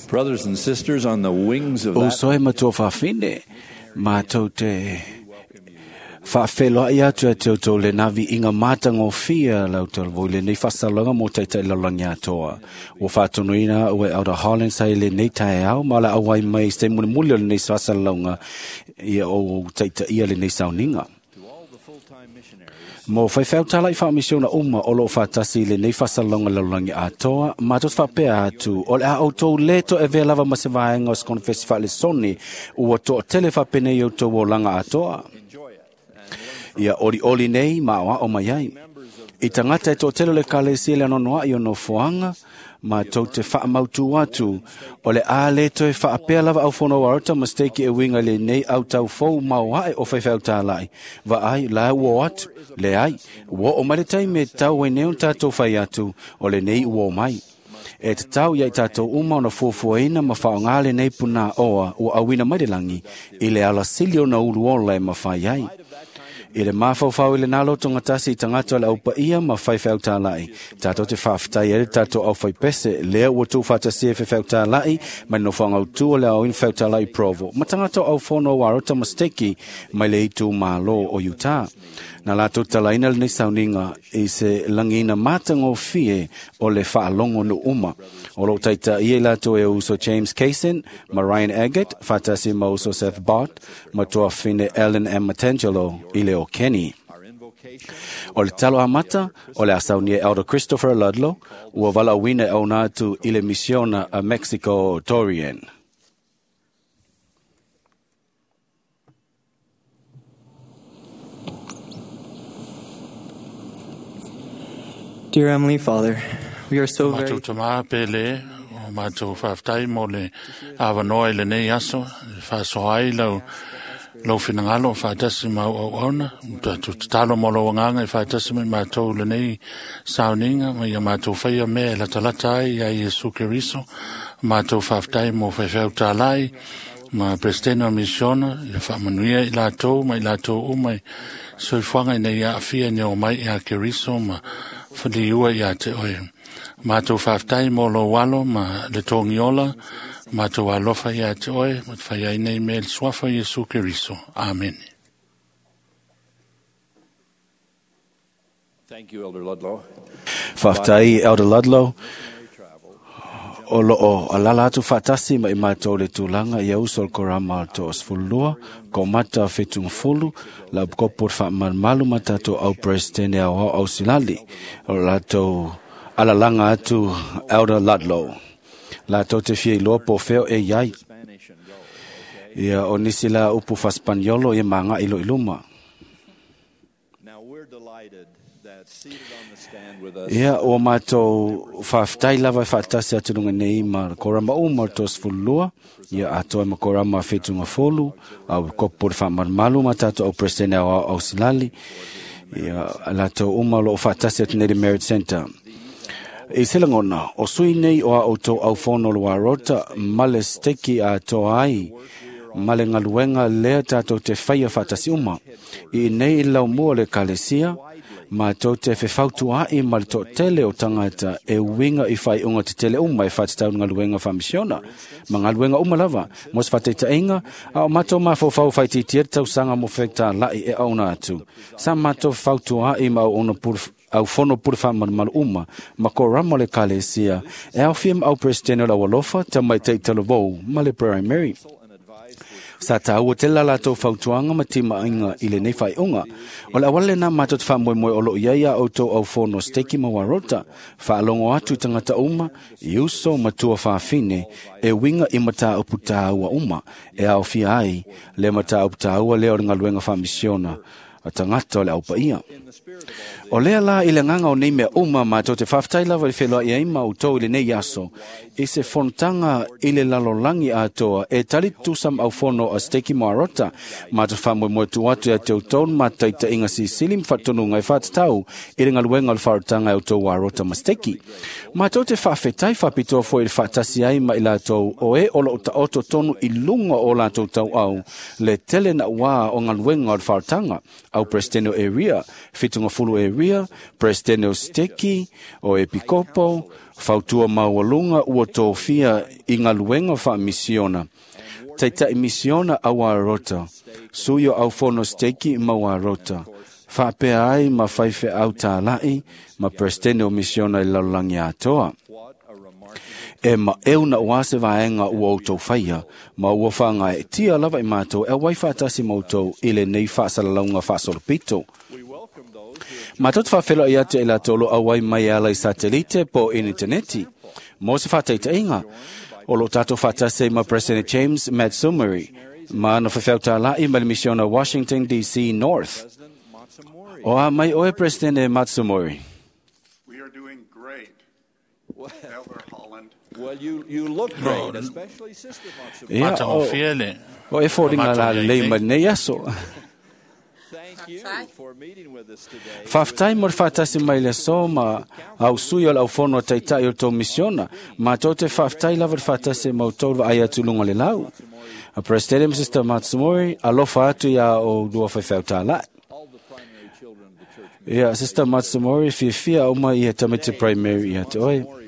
Brothers and sisters, on the wings of O that soe matua whawhine, mātou te whawheloa i atu e te autou le navi i ngā mātanga o whia lau tau voi le nei whasalanga mō taitai lalangi atoa. O whātonuina o e Elder Holland sai le nei tae au, ma la awai mai se muli muli o le nei whasalanga i o taitai ia le nei sauninga. Mo whaiwhau tala i whaamisiona uma o lo whatasi le nei whasalonga lalangi atoa, mātou whapea atu, o le a outou leto e vea lava ma se vaenga o se konfesi whaale soni, ua toa tele whapene i outou o langa atoa. Ia ori ori nei ma o o mai ai. I tangata e tō tele le kalesi le anonoa i ono fuanga, ma tau te whaamautu atu, o le a le toe whaapea lava au whono warata ma steki e winga le nei au tau fou mau hae o whaiwhau tālai. Va ai, la ua atu, le ai, ua o mai le taime tau e neon tātou whai atu, o le nei ua o mai. E te tau ia i tātou uma ona fuafuaina ma whaongā le nei puna oa ua awina mai le langi, i le ala sili ona ulu ola e mawhai ai. I le mawhauwhau i le nalo tonga tasi i tangata le aupa ia ma whai whau tālai. Tātou te whawhitai e le tātou au whai pese, lea ua tū whatasia whai whau tālai, mai no whangau tū le au in whau tālai provo. Ma tangata au whono warota masteki mai le itu malo o Utah. Na latou talaina lenei sauniga i se lagiina matagofie o le faalogo nuu uma. O loo taitaia i latou e uso James Kaysen ma Ryan Eggett, faatasi ma uso Seth Bott ma tuafine Ellen M. Matangelo i le o Kenny. O le talo amata o le a saunia Elder Christopher Ludlow, ua valaauina e auina atu i le misiona a Mexico Torreon. Dear Heavenly Father, we are so very Matou tamā pele o matou faafetai mo le avanoa i lenei aso e faasoa ai lau lou finagalo faatasi ma au auauna tatou tatalo mo lou agaga e faatasi ma i matou i lenei sauniga ma ia matou faia mea e latalata ai ia Iesu Keriso. Matou faafetai mo faifeau tālai ma Peresetene o Misiona ia faamanuia i latou ma i latou uma i soifuaga ina ia aafia ina o mai ia Keriso ma faliua ia te oe. Matou faafetai mo lou alo ma le togiola, matou alofa ia te oe, ma te fai ai nei mea i le suafa o Iesu Keriso. Amene. Thank you, Elder Ludlow. Faafetai Elder Ludlow. O loo alala atu faatasi ma i matou le tulaga ia uso o le korama o le 22, ko mata 70, la upikopo le faamalumalu ma tatou au Peresetene aoao ausilali. O latou alalaga atu Elder Ludlow. Latou te fia iloa po o fea e iai. Spanish and go. Okay? Ia o nisi la upu faa-Spaniolo ia magai lo i luma. Now we're delighted that seated on the stand with us Ia ua matou faafetai lava e faatasi atu luga nei ma le korama uma o le 22, ia atoa ma korama 70, au kopo le faamalumalu ma tatou au Peresetene aoao ausilali, ia latou uma o loo faatasi atu nei le Merit Center. I se lagona, o sui nei o a outou aufono o le Warota ma le steki atoa ai ma le galuega lea tatou te faia faatasi uma. I nei i laumua o le ekalesia, matou te fefautua'i ma le toatele o tagata e uiga i faaiuga tetele uma e faatatau i galuega faamisiona ma galuega uma lava mo se faataitaiga a o matou mafaufau faitiitia le tausaga mo fetalai e auina atu. Sa matou fefautua'i ma auauna pule aufono pule faamalumalu uma ma korama o le ekalesia e aofia ma au Peresetene o le Aualofa, Tamaitai Talavou ma le Primary. Sa tāua tele la latou fautuaga ma timaiga i lenei faaiuga. O le auala lenā matou te faamoemoe o loo iai a outou aufono steki ma warota, faalogo atu i tagata uma, i uso ma tua faafine, e uiga i mataupu tāua uma, e aofia ai le mataupu tāua lea o le galuega faamisiona a tagata o le aupaia. O lea la i le agaga o nei mea uma matou te faafetai lava i le feloai ai ma outou i lenei aso, i se fonotaga i le lalolagi atoa e tali tutusa ma aufono a Steki Marota, matou faamoemoe tuu atu ia te outou le mataitaiga silisili ma faatonuga e faatatau i le galuega o le faarotaga e outou Arota ma Steki. Matou te faafetai faapitoa foi i le faatasi ai ma i latou o e o loo taoto tonu i luga o latou tauau le tele nauā o galuega o le faarotaga, au Peresetene o Area, 70 Area, Peresetene o Steki, o Epikopo, fautua maualuga ua tofia i galuega faamisiona. Taitai misiona au Arota, sui o aufono steki ma au Arota, faapea ai ma faifeau tālai ma Peresetene o misiona i lalolagi atoa. E maeu na ua se vaega ua outou faia, ma ua faagaeetia lava i matou e auai faatasi ma outou i lenei faasalalauga faasolopito. Matou te faafeiloai atu i latou o loo auai mai e ala i satelite po o initaneti. Mo se faataitaiga, o loo tatou faatasi ai ma President James Matsumori ma ana faifeau tālai ma le misiona Washington DC North. O a mai oe President Matsumori. We are doing great, Elder Holland. Well, you look great, especially Sister Matsumori. Ia, o, Matagofie le o e foliga la Matou iai lelei nei. ma lenei aso. Thank you for meeting with us today. Faafetai mo le faatasi mai le aso ma au sui o le aufono taitai o le tou misiona. Matou te faafetai lava le faatasi ma outou le vaai atu i luga o le lau. A President Sister Matsumori, alofa atu ia o lua faifeau tālai. All the primary children of the church. Ia, Sister Matsumori, fiafia uma ia tamaiti primary ia te oe. Matsumori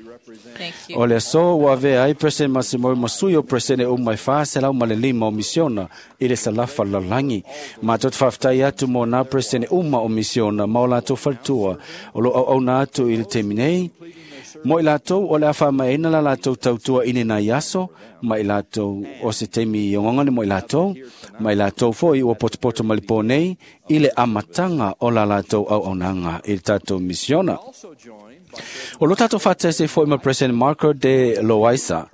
O le aso ua avea ai President Masimori ma sui o President uma e 405 o misiona i le salafa lalolagi. Matou te faafetai atu mo nā President uma o misiona ma o latou faletua o lo auauna atu i le taimi nei. Mo i latou o le a faamaeaina la latou tautua i lenei aso, ma i latou o se taimi ogogone mo i latou, ma i latou foi ua potopoto mai le pō nei i le amataga o la latou auaunaga i le tatou misiona. O lo tatou faatasi foi ma President Marco de Loaiza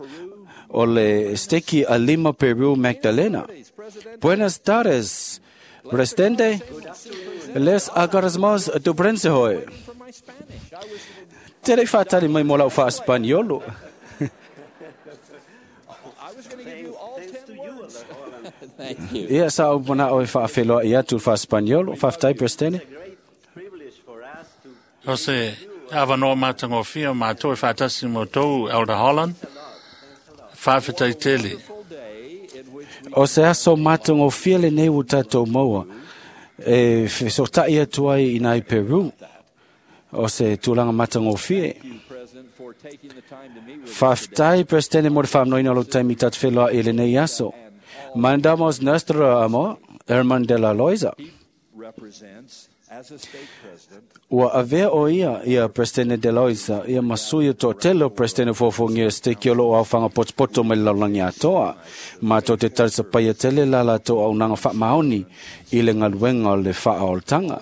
o le steki a Lima Peru Magdalena. Buenas tardes, Presidente. Les agradecemos tu presencia hoy. Te lei whaatari mai mo lau wha-Spaniolo. Ia sa au mana o e whaawheloa i atu wha-Spaniolo, whaaftai Presidente. O se avanoa matagofie o matou e faatasi ma outou Elder Holland. Faafetai tele. O se aso matagofie lenei ua tatou maua e fesotai atu ai i nai Peru. O se tulaga matagofie. Faafetai Presidente mo le faamanoina o lou taimi tatou feloai i lenei aso. Mandamos nuestro amor, Herman de la Loiza. Ua avea o ia ia Presidente de Loiza ia ma sui o toatele o Presidente fuafuagia steki o loo aofaga potopoto mai le lalolagi atoa. Matou te talisapaia tele la latou auaunaga faamaoni i le galuega o le faaolataga.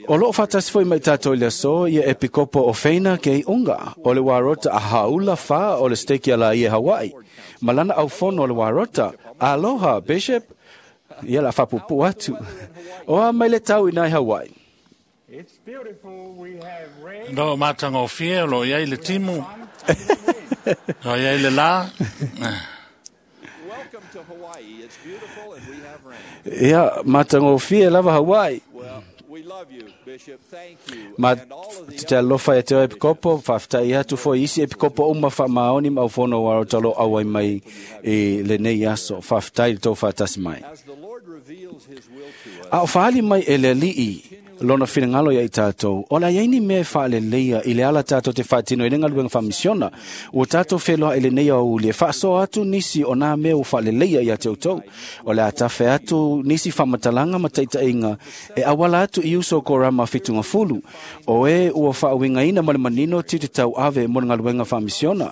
O loo faatasi foi mai tatou i le aso ia Epikopo o Feina ke Iunga o le Warota a Haula Fa o le steki a Laie Hawaii. Ma lana aufono o le Warota. Aloha, Bishop. Ia la whapupu atu. O a mai le tau i nai Hawaii. Lo matagofie o lo iai le timu. Lo iai le la. Ia, matagofie lava Hawaii. Ma te alofa e te o Epikopo, faafetai atu foi isi Epikopo uma faamaoni ma aufono o Warota o lo auai mai i lenei aso. Faafetai le tou faatasi mai. A o faali mai e le alii lona finagalo ia i tatou, o le a iai ni mea e faaleleia i le ala tatou te faatino i le galuega faamisiona. Ua tatou feloa i lenei aoauli e faasoa atu nisi o nā mea ua faaleleia ia te outou. O le a tafe atu nisi faamatalaga ma taitaiga e auala atu i uso o korama fitugafulu, o e ua faauigaina ma le manino tiute tauave mo le galuega faamisiona.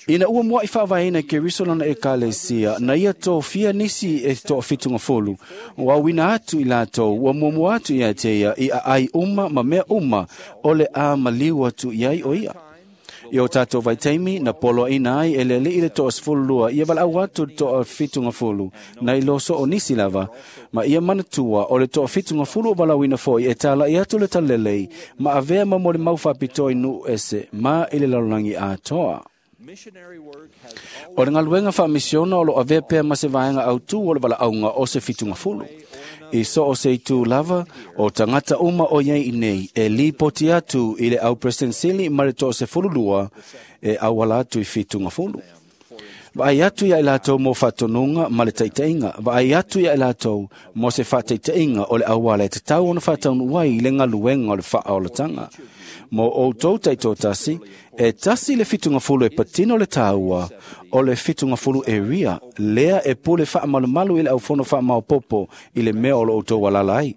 Ina ua mua'i faavaeina e Keriso lona ekalesia, na ia tofia nisi e toafitugafulu, ua auina atu i latou, ua muamua atu ia te ia i aai uma ma mea uma o le a maliu atu i ai o ia. I o tatou vaitaimi, na poloaina ai e le alii le 12 ia valaau atu le 70 na i loso o nisi lava, ma ia manatua o le 70 o valaauina foi e talai atu le talalelei ma avea ma molimau faapitoa i nuu ese ma i le lalolagi atoa. O le galuega faamisiona o lo avea pea ma se vaega autū o le valaauga o se fitugafulu. I so o se itu lava, o tagata uma o iai nei e lipoti atu i le au President ma le 12 e auala atu i fitugafulu. Vaai atu ia i latou mo faatonuga ma le taitaiga. Vaai atu ia i latou mo se faataitaiga o le auala e tatau ona faataunuu ai i le galuega o le faaolataga. Mo outou taitoatasi, e tasi le fitugafulu e patino le tāua o le fitugafulu e ria, lea e pule faamalumalu i le aufono faamaopopo i le mea o lo outou alala ai.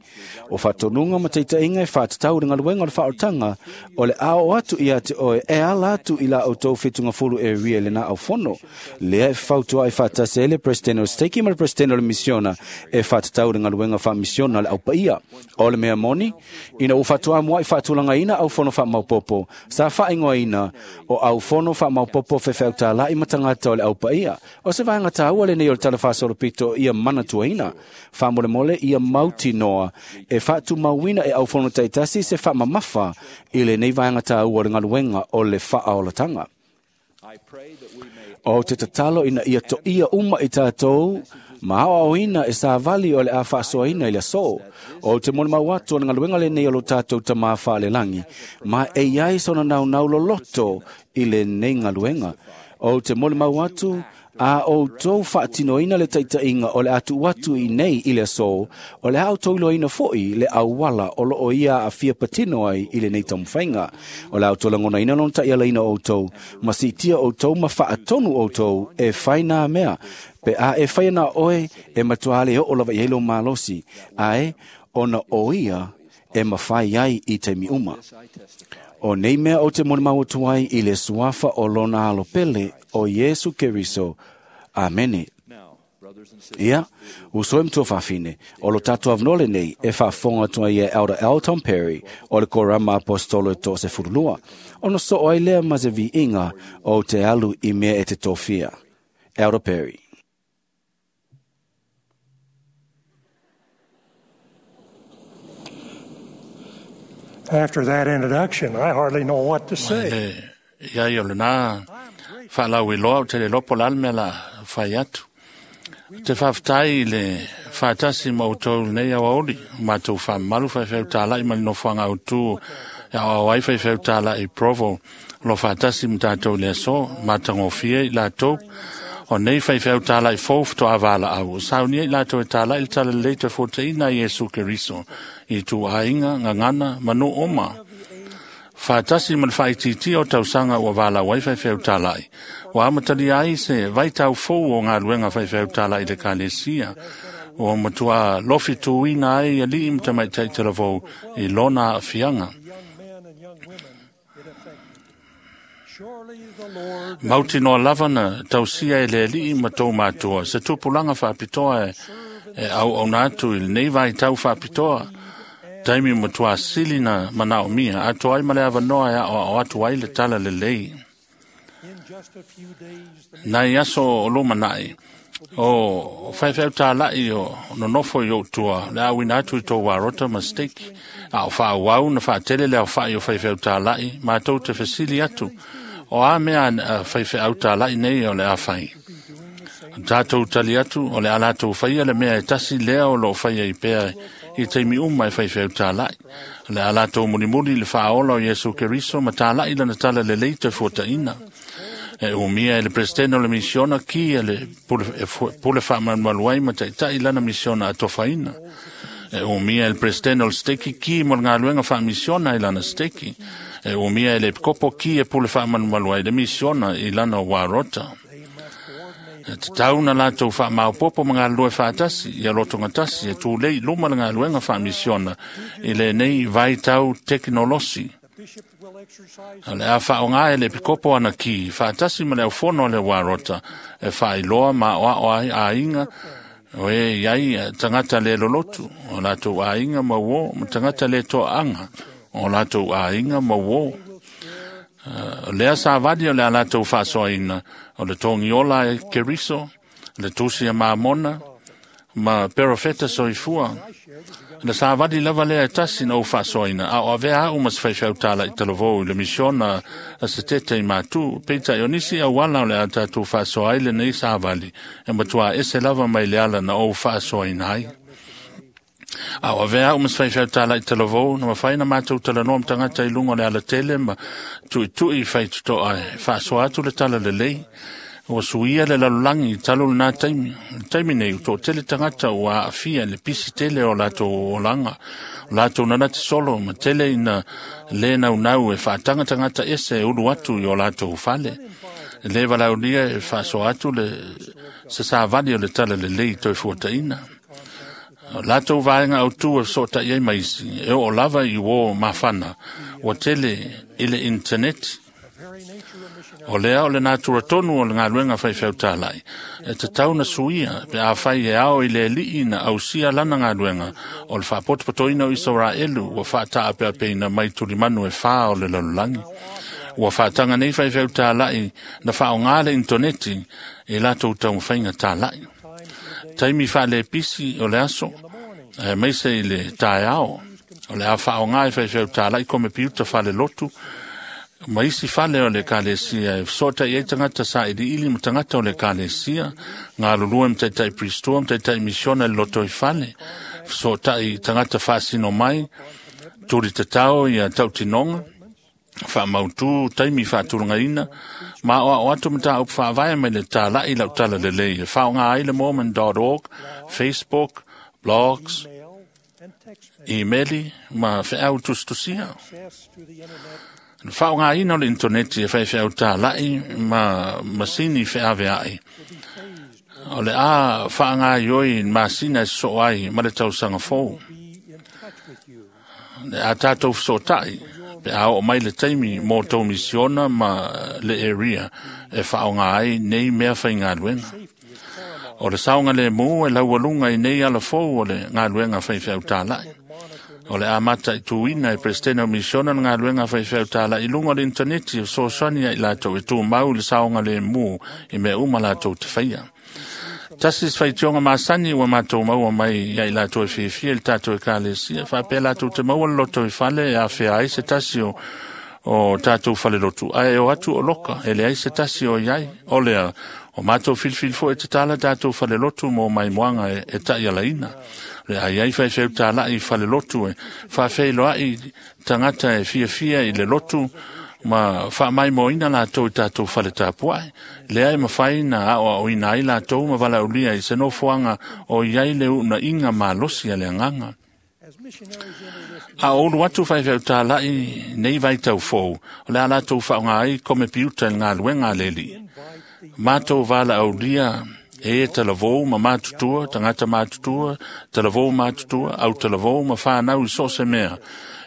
O faatonuga ma taitaiga e faatatau i le galuega o le faaolataga, o le ao atu ia te oe e ala atu i la outou fitugafulu e ria i lena aufono. Lea e fautua ai faatasi ai le President o Steki ma le President o le Misiona e faatatau i le galuega faamisiona le aupaia. O le mea moni, ina ua faatoa mua'i faatulagaina aufono faamaopopo, sa faaigoaina o aufono faamaopopo fefeautala'i ma tagata o le aupaia. O se vaega tāua lenei o le tala faasolopito ia manatuaina. Faamolemole ia mautinoa e faatumauina e aufono taitasi se faamamafa i lenei vaega tāua o le galuega o le faaolataga. O te tatalo ina ia toia uma i tatou ma aoaoina e savali o le a faasoaina i le aso. O te molimau atu o le galuega lenei o lo tatou tamā faalelagi, ma e iai sona naunau loloto i lenei galuega. O te molimau atu A outou faatinoina le taitaiga o le atu atu i nei i le aso, o le a outou iloaina foi le auala o loo ia aafia patino ai i lenei taumafaiga. O le a outou lagonaina lona taialaina o outou, ma siitia outou ma faatonu outou e fai nā mea. Pe a e fai ana oe, e matua le oo lava i ai lou malosi, ae ona o ia e mafai ai i taimi uma. O nei mea o te molimau atu ai i le suafa o lona alo pele o Iesu Keriso. Amene. Ia, uso e matua faafine, o lo tatou avanoa lenei e faafofoga atu ai e Elder L. Tom Perry o le Korama Apostolo e 12, ona soo ai lea ma se viiga o te alu i mea e te tofia. Elder Perry. After that introduction, I hardly know what to say. Le ia i o lena whaalau i loa o te le lopo lal mea la whai atu. Te whawhitai i le whaatasi ma outou nei awa oli, mātou whaamalu whaiwheu tālai ma le nofoanga autu e au ai whaiwheu tālai i Provo, lo whaatasi ma tātou le aso, mātangofia i lātou, o nei whaiwheu tālai fō whatoa awala au. Saunia i lātou e tālai le tala lei te fōteina i Iesu Keriso, i tū ainga, ngangana, manu oma. Whaatasi ma le whaititi o tausanga ua wāla wai whaiwheu tālai. Wa amatali ai se vaitau fō o ngā luenga whaiwheu tālai le kalesia. O matua lofi tūina ai a lii mtamai taitaravou i lona whianga. Mauti noa lavana tausia e le alii ma tō mātua. Se tupulanga whaapitoa e au au nātu i lenei vai tau whaapitoa. Taimi matua sili na manao mia. Ato ai male awanoa e ao atu ai le tala le lei. Nai aso o lo manai. O whaiwheu tālai o nonofo i o tua. Le awina atu i tō warota ma steki. A o wha wau na whaatele le au whai o whaiwheu tālai. Mātou te whesili atu. O a mea whaiwheu tālai nei o le a whai. Tātou tali atu o le alatou whaia le mea e tasi lea o lo whaia i pea i teimi uma e whaiwheu tālai. Le alatou mulimuli le whaola o Iesu Keriso ma tālai lana tala le leita fuataina. E umia e le presidente o le misiona ki e le pule whaamanualuai ma taitai lana misiona a tofaina. E umia e le presidente o le steki ki mo le ngāluenga whaamisiona i lana steki. E umia e le kopo ki e pule whaamanualuai le misiona i lana warota. E te tauna lātou whaamaupopo ma ngā lue whaatasi i a lotonga tasi e tūlei luma le ngā luenga whaamisiona i le nei vaitau teknolosi. Le a whaonga e le pikopo ana ki, whaatasi ma le aufono le warota, e whailoa ma oa oa a inga, o e iai tangata le lolotu, o lātou a inga mauo, ma tangata le toa anga, o lātou a inga mauo. Lea sa vali o le a lātou whaasoaina, o le tongiola e Keriso, le tusi a maamona, ma perofeta soifua. Le sa vali lava lea e tasi na o whaasoaina, a o avea au mas whaiwhau tāla i talavou i le misiona a se tete i mātū, peita i onisi au wala o le a tātou whaasoa ai le nei sa vali, e matua ese lava mai le ala na o whaasoaina ai. A o avea au mas whaiwhau tāla i talavou, na mawhai na mātou talanoa mtangata i lunga le ala tele ma tui tui whaitutoa e whaasoa atu le tala le lei. O suia le lalulangi i talo nā taimi. Taimi nei, o tō tele tangata o a awhia le pisi tele o lātou olanga. O lātou nanati solo ma tele ina le nau nau e whaatanga tangata ese e ulu atu i o lātou whale. Le walaulia e whaasoa atu le se sa vali o le tala le lei toi fuataina. O lātou vaenga au tū e sota i ai maisi, e o lava i o mawhana, o tele i le internet. O lea o le nātura tonu o le ngā luenga whaiwheu tālai. E te tauna suia, pe a whai e ao i le lii na ausia lana ngā luenga, o le whaapotopatoina o Israelu, ua whaataa pea peina mai tulimanu e whā o le lalulangi. Ua whaatanga nei whaiwheu tālai, na whao ngā le intoneti, e lātou taumawhainga tālai. Taimi whaale pisi o le aso, e meise i le taeao, o le a whao ngā e whaiwheu tālai, kome piuta whale lotu, ma isi fale o le kalesia e sota i tangata sa ili ili ma tangata o le kalesia ngā lulua mtaitai pristua mtaitai misiona le loto i fale sota i tangata whaasino mai turi te tau i a tautinonga Faamautu taimi faatulagaina ma aoao atu mataupu faavae mai le tala'i lau tala lelei e faaaoga ai le mormon.org, Facebook, blogs, imeli ma feau tusitusia. Le faaaogaina o le intaneti e faifeau tala'i ma masini feavea'i o le a faagaioi masina e sosoo ai ma le tausaga fou. Le a tatou fesoota'i pe a oo mai le taimi mo tou misiona ma le area e faaaoga ai nei mea faigaluega. O le saoga lemu e laualuga i nei alafou o le galuega faifeau tala'i. O le amata i tuina e Peresetene o Misiona le galuega faifeau tala'i i luga o le intaneti e fesoasoani ai latou e tumau i le saoga lemu i mea uma latou te faia. Tasi se faitioga masani ua matou maua mai ia i latou e fiafia i le tatou ekalesia, faapea latou te maua le loto i fale e afea ai se tasi o tatou falelotu, ae o atu o loka, e leai se tasi o iai. O lea, o matou filifili foi e tatala tatou falelotu mo maimoaga e ta'ialaina. Le a iai faifeau tala'i i falelotu e faafeiloa'i tagata e fiafia i le lotu ma faamaimoaina latou i tatou fale tapua'i. Lea e mafai na aoaoina ai latou ma valaaulia i se nofoaga o i ai le uuna'iga malosi a le agaga. A o ulu atu faifeau tala'i nei vaitau fou, o le a latou faaaoga ai komepiuta i le galuega a le Alii. Matou valaaulia e talavou ma matutua, tagata matutua, talavou matutua, au talavou ma fanau i so o se mea.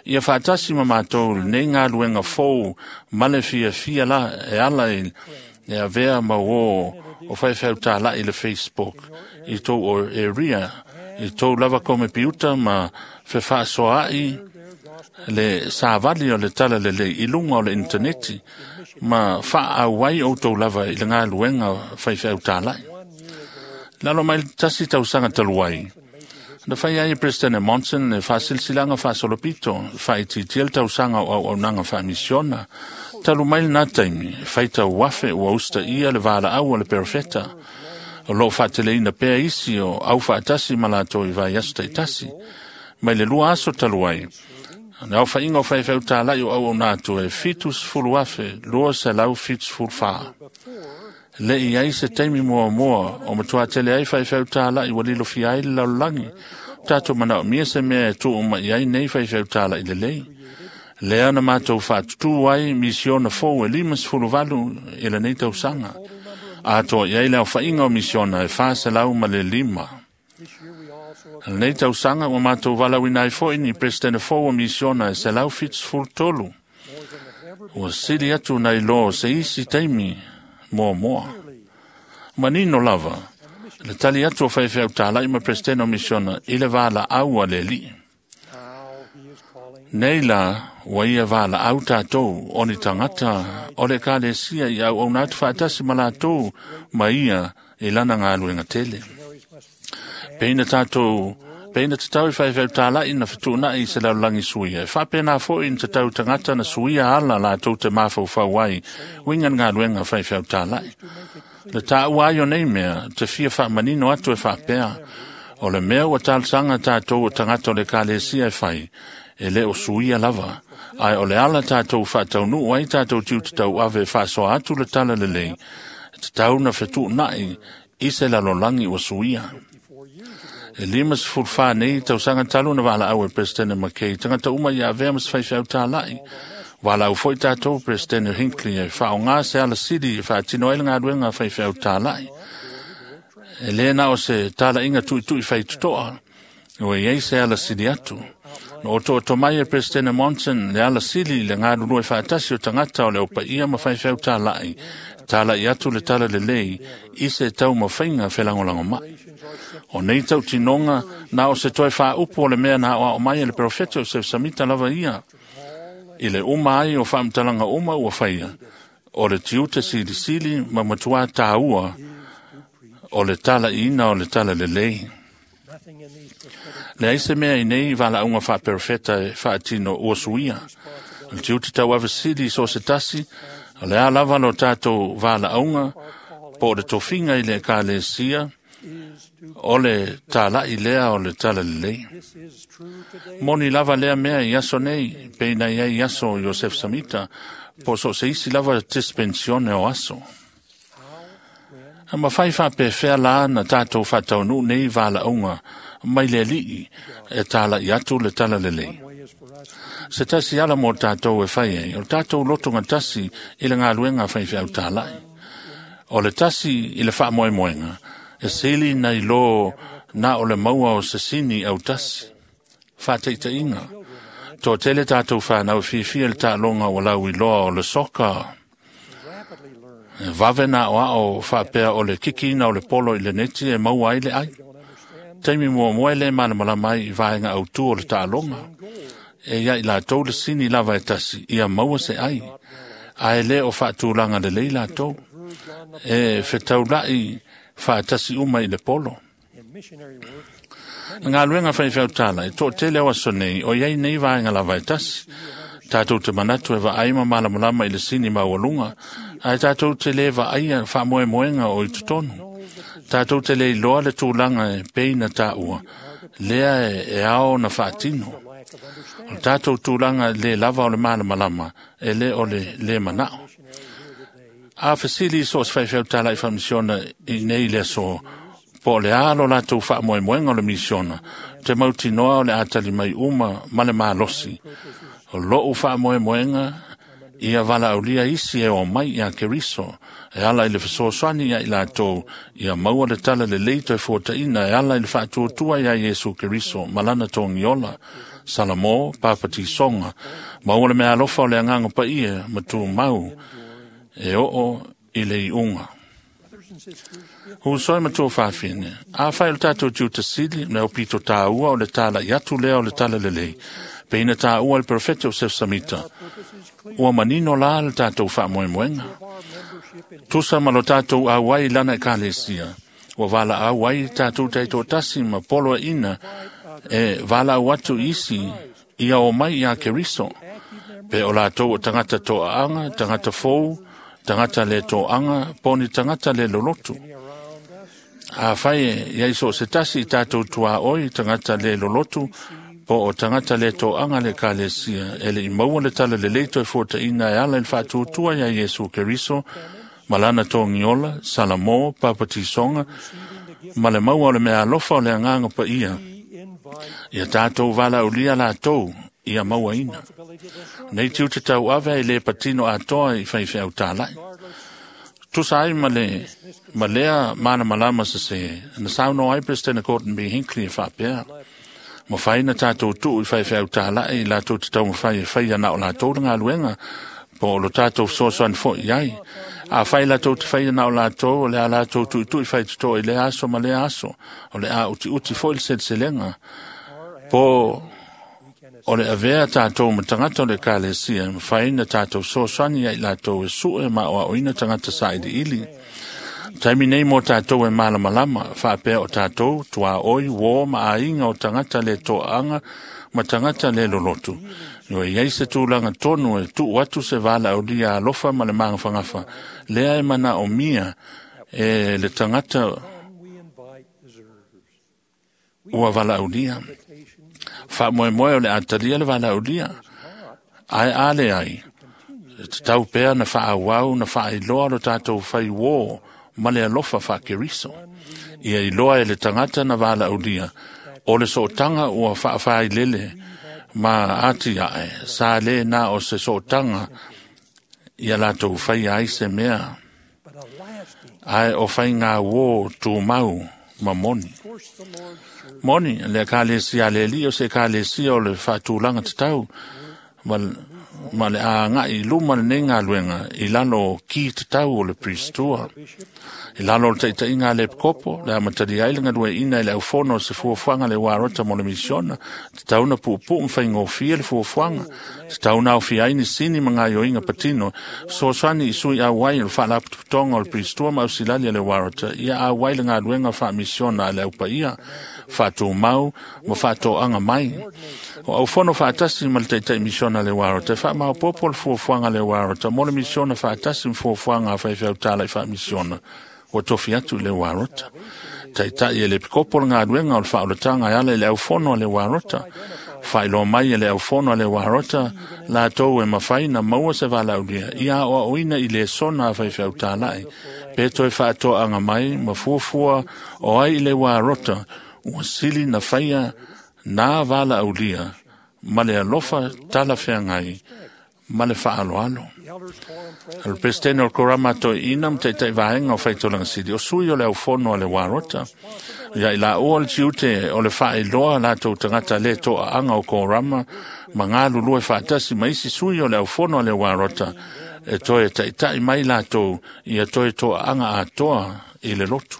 Ia faatasi ma matou lenei galuega fou ma le fiafia la e ala i le avea ma uō o faifeau tala'i i le Facebook i tou area, i tou lava komepiuta ma fefaasoa'i le savali o le tala lelei i luga o le intaneti ma faaauai outou lava i le galuega faifeau tala'i. Lalo mai le tasi tausaga talu ai, na fai ai e President Monson le faasilasilaga faasolopito faaitiitia le tausaga o auaunaga faamisiona. Talu mai lena taimi, faitau afe ua usitaia le valaau a le perofeta. O loo faateleina pea isi o aufaatasi ma latou i vaiaso taitasi. Mai le 2 aso talu ai, le aofaiga o faifeau tala'i o auauna atu e 70,274. Le i ai se taimi muamua o matuā tele ai faifeau tala'i ua lilofia ai le lalolagi. Tatou manaomia se mea e tuu mai ai nei faifeau tala'i lelei. Lea na matou faatutū ai misiona fou e 58 i lenei tausaga. Atoa i ai le aofaiga o misiona e 405. Lenei tausaga ua matou valaauina ai foi ni Peresetene fou o misiona e 173. Ua sili atu nai lo se isi taimi muamua. Manino lava, le tali atu o faifeau tala'i ma Peresetene o misiona i le valaau a le Alii. Nei la, ua ia valaau tatou o ni tagata o le ekalesia i auauna atu faatasi ma latou ma ia i lana galuega tele. Peina tatou peina tatau i faifeau tala'i na fetuuna'i i se lalolagi suia. E faapena foi na tatau tagata na suia ala latou te mafaufau ai uiga le galuega faifeau tala'i. Le tāua ai o nei mea, te fia faamanino atu e faapea, o le mea ua talosaga tatou o tagata o le ekalesia e fai, e le o suia lava. Ae o le ala tatou faataunuu ai tatou tiute tauave e faasoa atu le tala lelei, e tatau na fetuuna'i i se lalolagi ua suia. E 54 nei tausaga talu na valaau e President McKay, tagata uma ia avea ma se faifeau tala'i. Valaau foi tatou President Hinckley e faaaoga se alasili e faatino ai le galuega faifeau tala'i. E lē na o se tala'iga tu'itu'i faitoto'a, ua i ai se alasili atu. Na otooto mai e President Monson le alasili i le galulue faatasi o tagata o le aupaia ma faifeau tala'i, tala'i atu le tala lelei i se taumafaiga felagolagomai. O nei tautinoga na o se toe faaupu o le mea na aoao mai e le perofeta o Sefesamita lava ia. I le uma ai o faamatalaga uma ua faia, o le tiute silisili ma matuā tāua o le tala'iina o le tala lelei. Le ai se mea i nei valaauga faaperofeta e faatino ua suia. O le tiute tauavesili i so o se tasi, o le a lava lo tatou valaauga po o le tofiga i le ekalesia, O le tāla'i lea o le talalelei. Moni lava lea mea i aso nei, pe ina ia i aso Iosef Samita, po so se isi lava dispensione o aso. A mawhai whapewhea la na tātou whataunu nei wālaunga mai le alii e tāla'i atu le talalelei. Se tasi ala mō tātou e whai ai, o tātou lotonga tasi i le ngā luenga whai whiau tāla'i. O le tasi i le whaamoemoenga, e sili nei lō nā o le maua o se sini au tasi. Whāteita inga. Tō tele tātou whānau whiwhia le tālonga o lau i loa o le soka. Vave nā o ao whāpea o le kikina o le polo i le neti e maua ai le ai. Taimi mua mua le mana mai i vaenga au tu o le tālonga. E ia i lātou le sini lava e tasi, ia maua se ai. Ae le o whaatūlanga le lei lātou. E whetaulai whaatasi uma i le polo. Ngā luenga whai whiau tāla, e tō tele o aso nei, o iai nei vaenga lava e tasi. Tātou te manatu e vaai ma malamalama i le sini maualunga, ae tātou te le vaaia whaamoemoenga o i totonu. Tātou te le iloa le tūlanga e peina tāua, lea e ao na whaatino. O tātou tūlanga le lava o le malamalama, e le o le le manao. A whasili so se whaiwhau tāla i whamisiona i nei le so, po le alo lātou whaamoemoenga o le misiona, te mauti noa o le atali mai uma ma le mālosi. O lou whaamoemoenga, ia wala aulia isi e o mai ia Keriso, e ala i le whasoaswani ia i lātou, ia maua le tala le leito e fōtaina, e ala i le whaatuatua ia Yesu Keriso, malana tōngiola, Salamo, Pāpatisonga, maua le mea alofa o le anganga paia, matu mau, e oo i le iunga. Hu soi matua whawhine, a whai o le tātou tiu sili, me o pito tāua o le tāla i atu lea o le tala lelei, pe ina tāua le profeta o Sef Samita, ua manino la le tātou whaamoemoenga. Tusa ma lo tātou auai lana e kālesia, ua wala auai tātou teito tasi ma polo e ina, e wala au atu isi ia o mai ia Keriso, pe o lātou o tangata toa anga, tangata fou, tangata le toanga, poni tangata le lolotu. A whai e iai so se tasi i tātou tua oi, tangata le lolotu, po o tangata le toanga le kālesia, e le i maua le tala le leito e fōtaina e ala i le whaatuatua ia Yesu Keriso, malana tōngiola, Salamo, Papatisonga, ma le maua o le mea alofa o le anganga pa ia. Ia tātou wala ulia lātou, ia maua ina. Nei tiu te tau ave e le patino atoa i whaiwhiau tālai. Tusa ai ma lea mana malama sa se, na sauno ai President Gordon B. Hinckley e whapea. Ma whaina tātou tuu i whaiwhiau tālai, lātou te tau mawhai e whai ana o lātou le ngā luenga, po o lo tātou sosoan fo i ai. A whai lātou te whai ana o lātou, o lea lātou tui tui whai tuto i lea aso ma lea aso, o lea uti uti fo i le selselenga. Po o le avea tātou ma tangata o le kālesia, ma whaina tātou sosoani ai lātou e sue ma o aoina tangata sa ili ili. Taimi nei mō tātou e malamalama, whaapea o tātou, tua oi, wō, ma ainga o tangata le toanga, ma tangata le lolotu. No e iai se tūlanga tonu e tuu atu se wala o lia alofa ma le mangawhangafa. Lea e mana o mia e le tangata ua wala o lia. Whaamoemoe o le atalia le wala o lia. Ai ale ai. Te tau pea na whaawau na whaailoa lo tātou whai wō ma le alofa wha-Keriso. Ia iloa e le tangata na wala o lia. O le sootanga ua whaawhai lele ma ati ae. Sa le nā o se sootanga ia lātou whai ai se mea. Ai o whai ngā wō tū mau ma moni. Moni, le kālesia le li o se kālesia o le whaatūlanga te tau, ma le a ngai luma le nei ngā luenga i lalo ki te tau o le pristua. I lalo o le taita inga le kopo, le amatari ai le ngalue ina i le aufono o se fuafuanga le warota mo le misiona, te tauna puupuu mwhai ngōfia le fuafuanga, te tauna au fia ni sini ma ngā yoinga patino, soaswani i sui au ai o le whaalaputuputonga o le pristua ma ausilali a le warota, ia au ai le ngā luenga wha misiona a le aupaia, whaatūmau ma whaatoanga mai. O aufono whaatasi ma le taitai misiona le warota, wha maopopo le fuafuanga le warota, mo le misiona whaatasi ma fuafuanga a whaiwhiau tāla i wha misiona. O tofi atu le warota. Taitai e le pikopo le galuega o le faaolataga e ala i le aufono a le Uarota. Faailoa mai e le aufono a le Uarota latou e mafai na maua se valaaulia ia aoaoina i lesona a faifeau talai pe toe faatoaga mai ma fuafua o ai i le Uarota ua sili na faia nā valaaulia ma le alofa talafeagai ma le faaaloalo. O le Peresetene o le Korama Toeaina ma Taitai Vaega o Faitolaga Sili, o sui o le aufono a le Uarota. Ia i laua le tiute o le faailoa latou tagata le toaaga o Korama ma galulue faatasi ma isi sui o le aufono a le Uarota e toe taitai mai latou ia toe toaaga atoa i le lotu.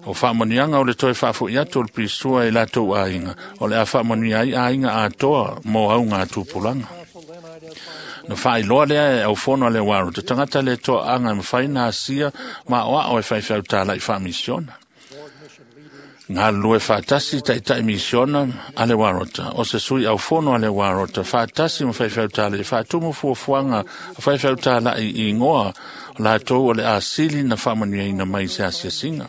O faamanuiaga o le toe faafoi atu o le pisua i latou aiga, o le a faamanuia ai aiga atoa mo auga tupulaga. Na faailoa lea e aufono a le Uarota, tagata le toaaga e mafai na asia ma aoao e faifeau talai faamisiona. Galulue faatasi taitai misiona a le Uarota, o se sui aufono a le Uarota, faatasi ma faifeau talai, faatumu fuafuaga faifeau talai i ingoa latou o le asili na faamanuiaina mai se asiasiga.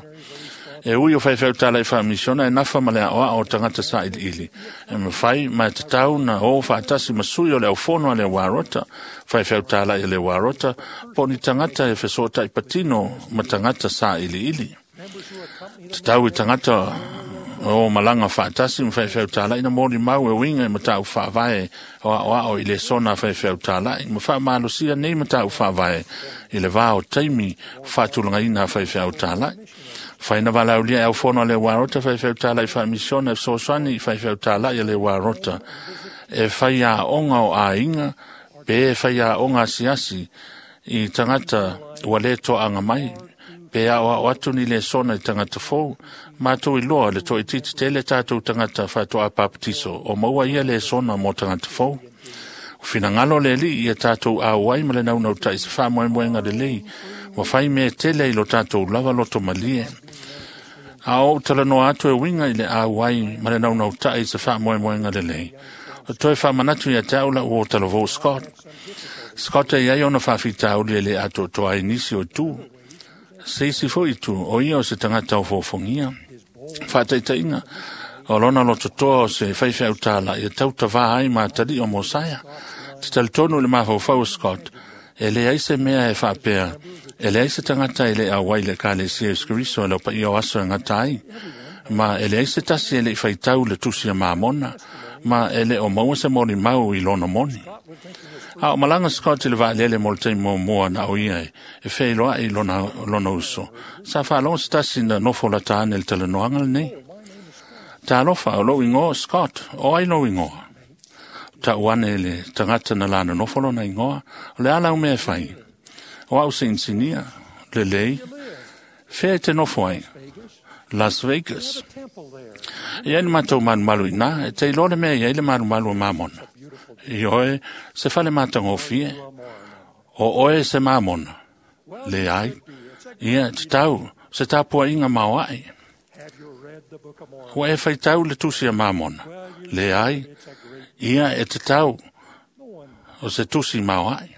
E ui o faifeau talai faamisiona e nafa ma le aoao o tagata sailiili. E mafai ma e tatau na o faatasi ma sui o le aufono a le Uarota, faifeau talai a le Uarota, po ni tagata e fesootai patino ma tagata sailiili. Tatau i tagata o malaga faatasi ma faifeau talai na moli mau e uiga i matau faavae o aoao i lesona faifeau talai ma faamalosia nei matau faavae i le vā o taimi faatulagaina faifeau talai. Faina valaaulia e aufono a le Uarota faifeau talai faamisiona e fesoasoani i faifeau talai a le Uarota e fai aoga o aiga pe fai aoga asiasi i tagata ua le toaaga mai pe aoao atu ni lesona i tagata fou. Mātou iloa le toaitiiti tele tatou tagata faatoa papatiso o maua ia lesona mo tagata fou. O finagalo le alii ia tatou auai ma le naunautai se faamoemoega lelei ua fai mea tele i lo tatou lava loto malie. A ou talanoa atu e uiga i le auai ma le naunautai se faamoemoega lelei. O toe faamanatu ia te au lau o talavou Scott. Scott e iai ona faafitauli e le atoatoa ai nisi o itu. Se isi foi itu, o ia o se tagata o fofogia. Faataitaiga, o lona lototoa o se faifeau talai e tautavā ai ma atalii o Mosaia. Te talitonu i le mafaufau o Scott, e leai se mea e faapea, e leai se tagata e le auai le Ekalesia Iesu Keriso e lau paia o aso e gata ai, ma e leai se tasi e le i faitau le tusi a Mamona, ma e le o maua se molimau i lona moni. A o malaga Scott i le vaalele mo le taimi muamua na o ia e feiloai lona uso. Sa faalogo se tasi na nofo lata ane le talanoaga lenei. Talofa, o lou ingoa Scott, o ai lou ingoa? Tau ane le tagata na lana nofo lona ingoa, o le ala o mea e fai. O au se insinia, lelei, fea e te nofo ai? Las Vegas. Ia ni matou malumalu i nā, e te iloa le mea iai le malumalu o Mamona. I oe, se fale matagofie, o oe se Mamona. Le ai, ia te tau, se tapuaiga maoae. Ua e faitau le tusi a Mamona. Le ai, ia e te tau, o se tusi maoae.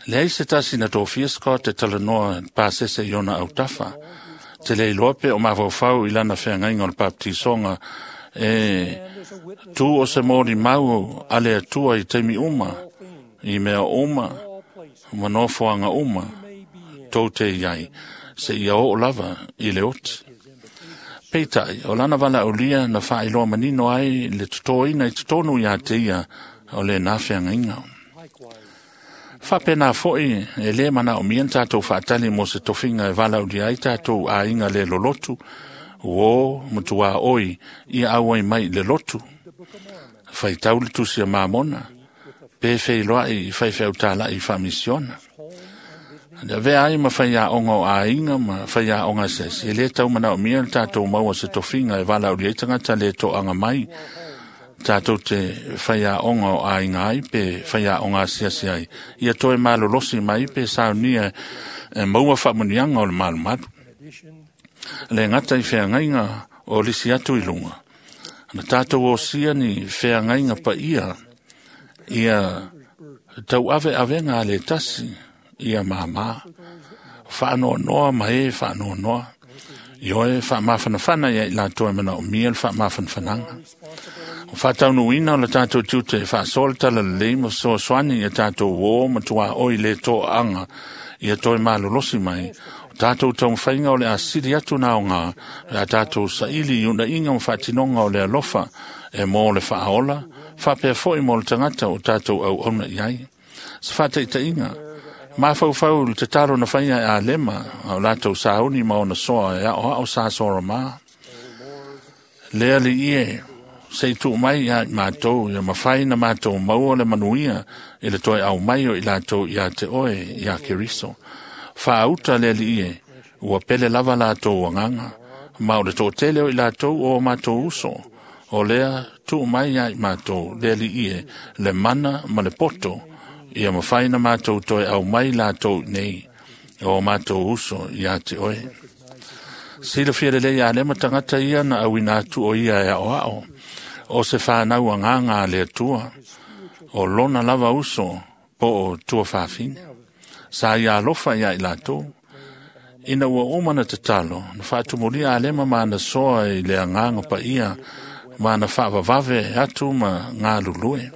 Leai se tasi na tofia Scott e talanoa pasese i ona autafa. Te le iloa pe o mafaufau i lana feagaiga o le baptisoga e tu o se molimau a le Atua i taimi uma, i mea uma, ma nofoaga uma, tou te iai, se ia oo lava i le oti. Peitai, o lana valaaulia na faailoa manino ai le totoina i totonu ia te ia o lenā feagaiga. Faapena foi e lē manaomia na tatou faatali mo se tofiga e valaaulia ai tatou aiga le lolotu, uō ma tuaoi ia auai mai i le lotu. Faitau le tusi a Mamona, pe feiloai i faifeau talai i faamisiona. Le avea ai ma faiaoga o aiga ma faiaoga asiasi, e lē tau manaomia le tatou maua se tofiga e valaaulia ai tagata le toaga mai, tatou te faiaoga o aiga ai pe faiaoga asiasi ai, ia toe malolosi mai pe saunia e maua faamanuiaga o le malumalu. Le gata i feagaiga o lisi atu i luga, na tatou osia ni feagaiga paia ia tauaveavega a le tasi ia māmā. Faanoanoa ma e faanoanoa. Ioe faamafanafana ia i latou e manaomia le faamafanafanaga. O faataunuuina o le tatou tiute e faasoa le talalelei ma fesoasoani ia tatou uō ma tuaoi le toaaga ia toe malolosi mai. O tatou taumafaiga o le a sili atu na aoga pe a tatou saili i uuna'iga ma faatinoga o le alofa e mō le faaola faapea fo'i mo le tagata o tatou auauna i ai. Se faataita'iga, mafaufau i le tatalo na faia e Alema a o latou sauni ma ona soa e aoao sa Soramā. Le alii e, se i tuu mai ia i matou ia mafai na matou maua le manuia i le toe aumai o i latou ia te oe ia Keriso. Faauta le alii e, ua pele lava latou agaga, ma o le toatele o i latou o matou uso. O lea tuu mai ia i matou le alii e, le mana ma le poto, ia mafai na matou toe aumai latou nei o matou uso ia te oe. Silafia lelei Alema tagata ia na auina atu o ia e aoao, o se fanau agaga a le Atua, o lona lava uso po o tuafafine. Sa ia alofa ia i latou. Ina ua uma na tatalo, na faatumulia Alema ma ana soa i le agaga paia ma na faavavave atu ma galulue.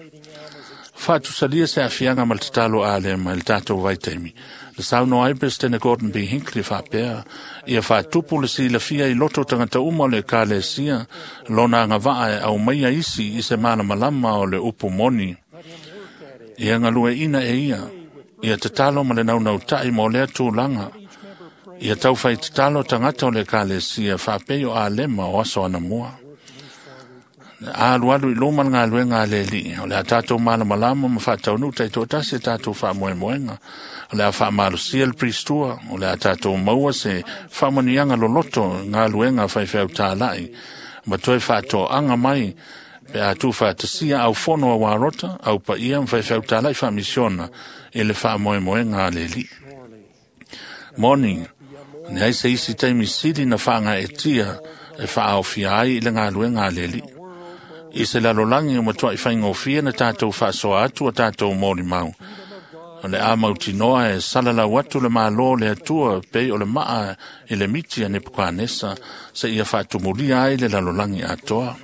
Faatusalia se aafiaga ma le tatalo a Alema i le tatou vaitaimi. Le saunoa ai Peresetene Gordon B. Hinckley faapea, ia faatupu le silafia i loto tagata uma o le ekalesia, lona agavaa e aumaia isi i se malamalama o le upu moni. Ia galueaiina e ia, ia tatalo ma le naunauta'i mo lea tulaga. Ia taufai tatalo tagata o le ekalesia faapei o Alema o aso anamua. Alualu i luma le galuega a le Alii, o le a tatou malamalama ma faataunuu taitoatasi e tatou faamoemoega. O le a faamalosia le pristua, o le a tatou maua se faamanuiaga loloto i galuega faifeau tāla'i, ma toe faatoaga mai pe a tuufaatasia aufono a uarota, au paia ma faifeau tāla'i faamisiona i le faamoemoega a le Alii. Moni, leai se isi taimi sili na faagaeetia e faaaofia ai i le galuega a le Alii. I se lalolagi o matua'i faigofie na tatou faasoa atu a tatou molimau. O le a mautinoa e salalau atu le Mālō o le Atua pei o le maa i le miti a Nepukanesa seia faatumulia ai le lalolagi atoa.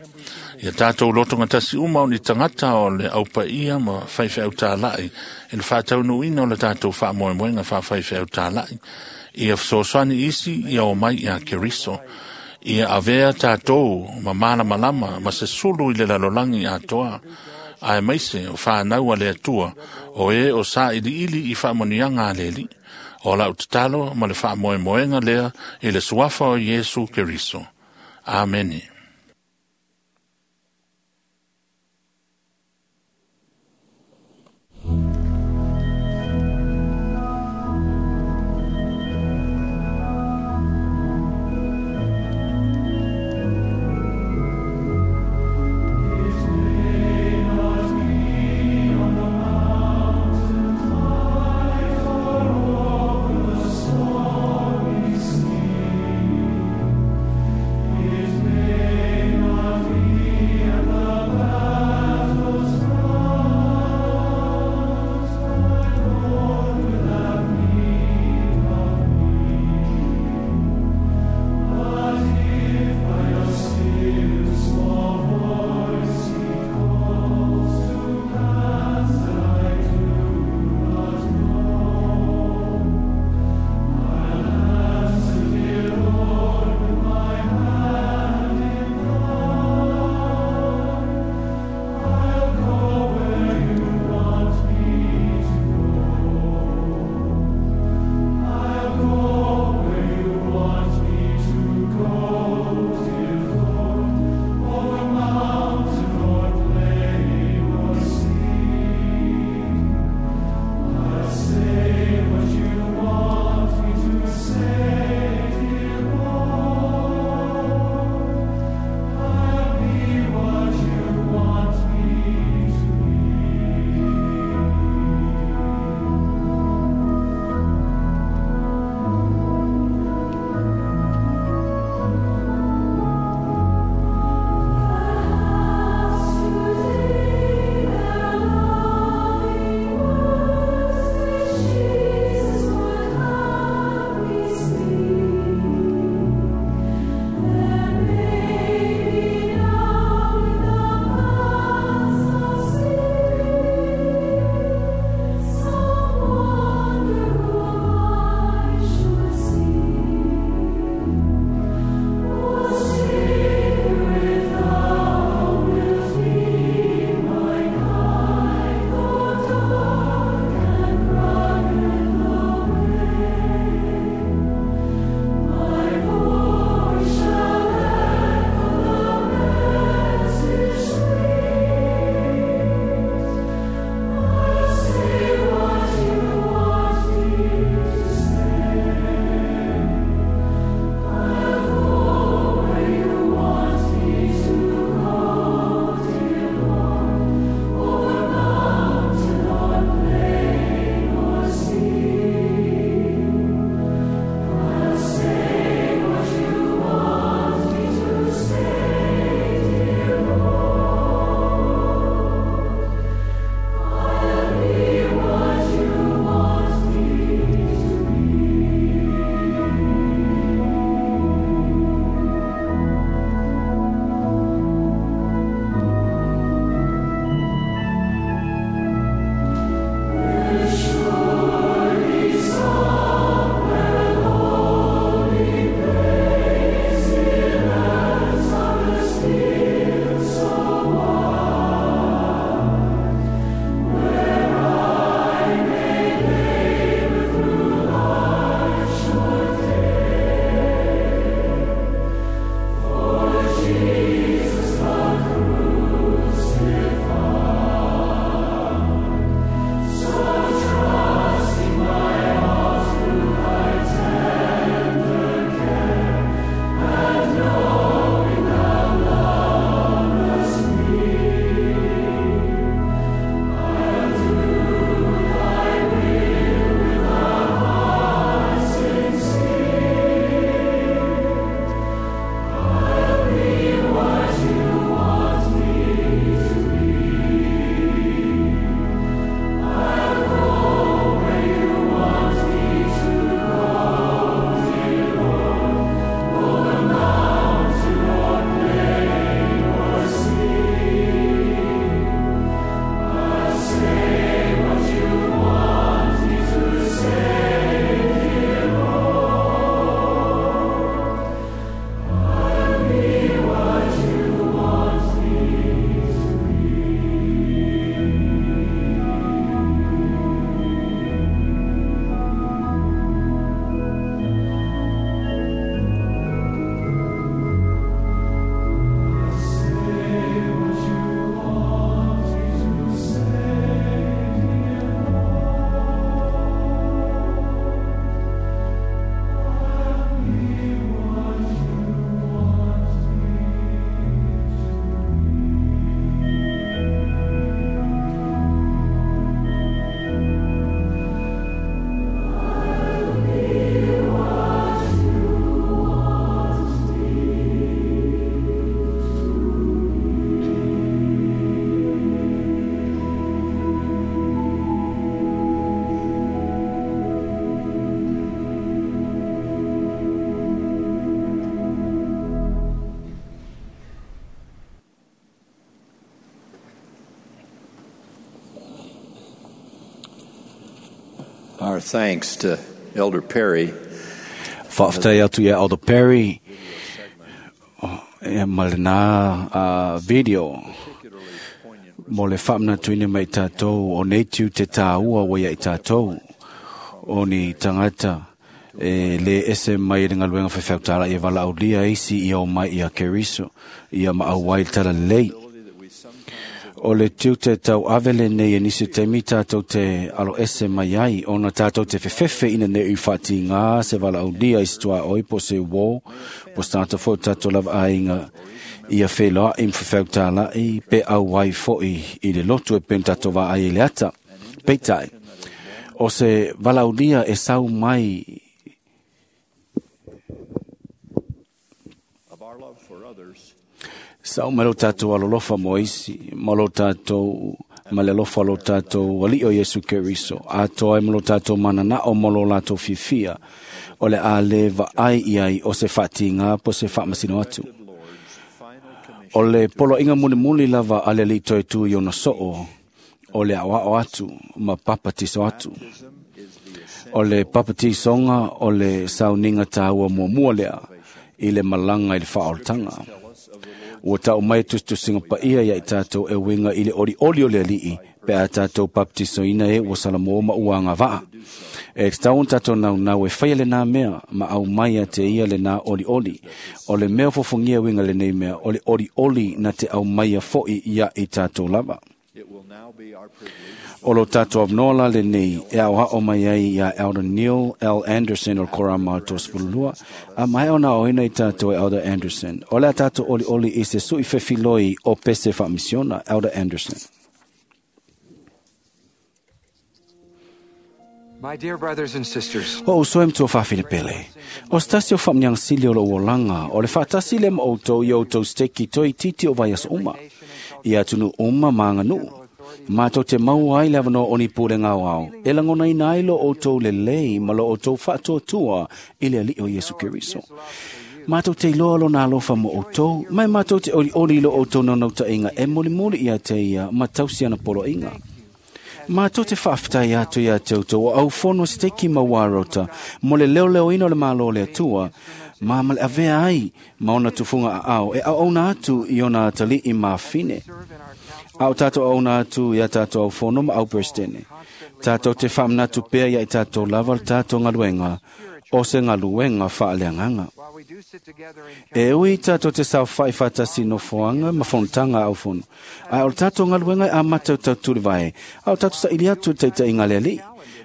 Ia tatou lotogatasi uma o ni tagata o le aupaia ma faifeau tāla'i i le faataunuuina o le tatou faamoemoega faafaifeau tāla'i. Ia fesoasoani isi ia omai ia Keriso. Ia avea tatou ma malamalama ma se sulu i le lalolagi atoa. Aemaise o fanau a le Atua, o e o sailiili i faamanuiaga a le Alii. O lau tatalo ma le faamoemoega lea i le suafa o Iesu Keriso. Amene. His Our thanks to Elder Perry. Faafetai atu ia Elder Perry e ma lena video mo le faamanatuina mai tatou o nei tiu te tāua ua ia i tatou o ni tagata e le ese mai le galuega faifeautala ia valaaulia isi ia o mai ia Keriso ia ma auai le talalelei. O le tiute tau ave lenei e nisi taimi tātou te alo ese mai ai ona tātou te fefefe ina nei i whaatinga se valaaulia i se tuaoi po se wō po se tātou fo tātou lava aiga ia wheloa i mwhawhautāla i pe au ai foi i le lotu e pen tātou wā ai i le ata. Peitai, o se valaaulia e sau mai Of our love for others, Sau mai lo tātou alolofa mo isi, ma lo tātou ma le alofa lo tātou alii o Iesu Keriso, atoa ai ma lo tātou mananao ma lo latou fiafia, o le a le vaai i ai o se faatīgā po se faamasino atu. Lord's final commission O le poloaiga mulimuli lava a le alii toe tu i ona soo, o le aoao atu ma papatiso atu. is the O le papatisoga o le sauniga tāua muamua lea i le malaga i le faaolataga. Ua tau mai tusitusiga paia ia i tātou e uiga i le olioli o le alii pe a tātou papatisoina e ua salamo ma ua agavaa. E tatau ona tātou naunau e faia lenā mea ma au mai a te ia lenā olioli. O le mea fofogia uiga lenei mea o le olioli na te au mai a fo'i ia i tātou lava. It will now be our privilege O lo tātou avanoa la lenei e aoao mai ai ia Elder Neil L. Anderson o le Korama o 32, a mai ona aoina i tātou e Elder Anderson. O le a tātou olioli i se sui fefiloi o pese faamisiona, Elder Anderson. My dear brothers and sisters, O uso e matua whawhine pele. O se tasi o whaamniang sili o lo uolanga, o le whaatasi le ma outou i outou steki toi titi o vaias uma. I atunu uma ma nganuu. Mātou te mau ai le avanoa o ni pure ngao ao. E langona ina ai lo outou le lei ma lo outou whaatuatua i le alii o Iesu Keriso. Mātou te iloa lo nā alofa mo outou, mai mātou te oli oli lo outou naunautaiga e molimoli ia te ia ma tausi ana poloaiga. Mātou te whaafetai atu ia te outou o au fono se teiki ma warota, mo le leo leo ina o le malo le atua, ma ma le avea ai ma ona tufunga a ao, e au auna atu i ona atalii ma fine. Au tātou auna atu ia tātou au fono ma au perstene. Tātou te whaamanatu pea ia i tātou lava le tātou ngaluenga, o se ngaluenga whaaleanganga. while we do sit together in E ui tātou te sao whai whatasi no foanga ma fontanga au fono. A o le tātou ngaluenga a matau tau turi vai. A o tātou sa ili atu teita i ngale ali.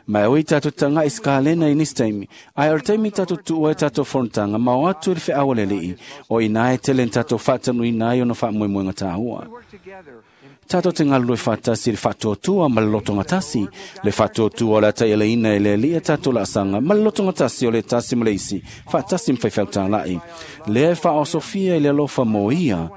Ma e ui tātou tanga i skalena i nisi taimi. A o le taimi tātou tuua e tātou fontanga ma o atu i le wheawa le alii. O ina e tele tātou whaatanu ina i ona whaamoemoenga tāua. work together in Tātou te ngalue whaatasi le whaatuatua ma le lotonga tasi. Le whaatuatua o le atai ele ina e le alia tātou la asanga ma le lotonga tasi o le tasi ma le isi. Whaatasi mwhaiwhau tālai. Le e wha o Sofia i le alofa mo ia.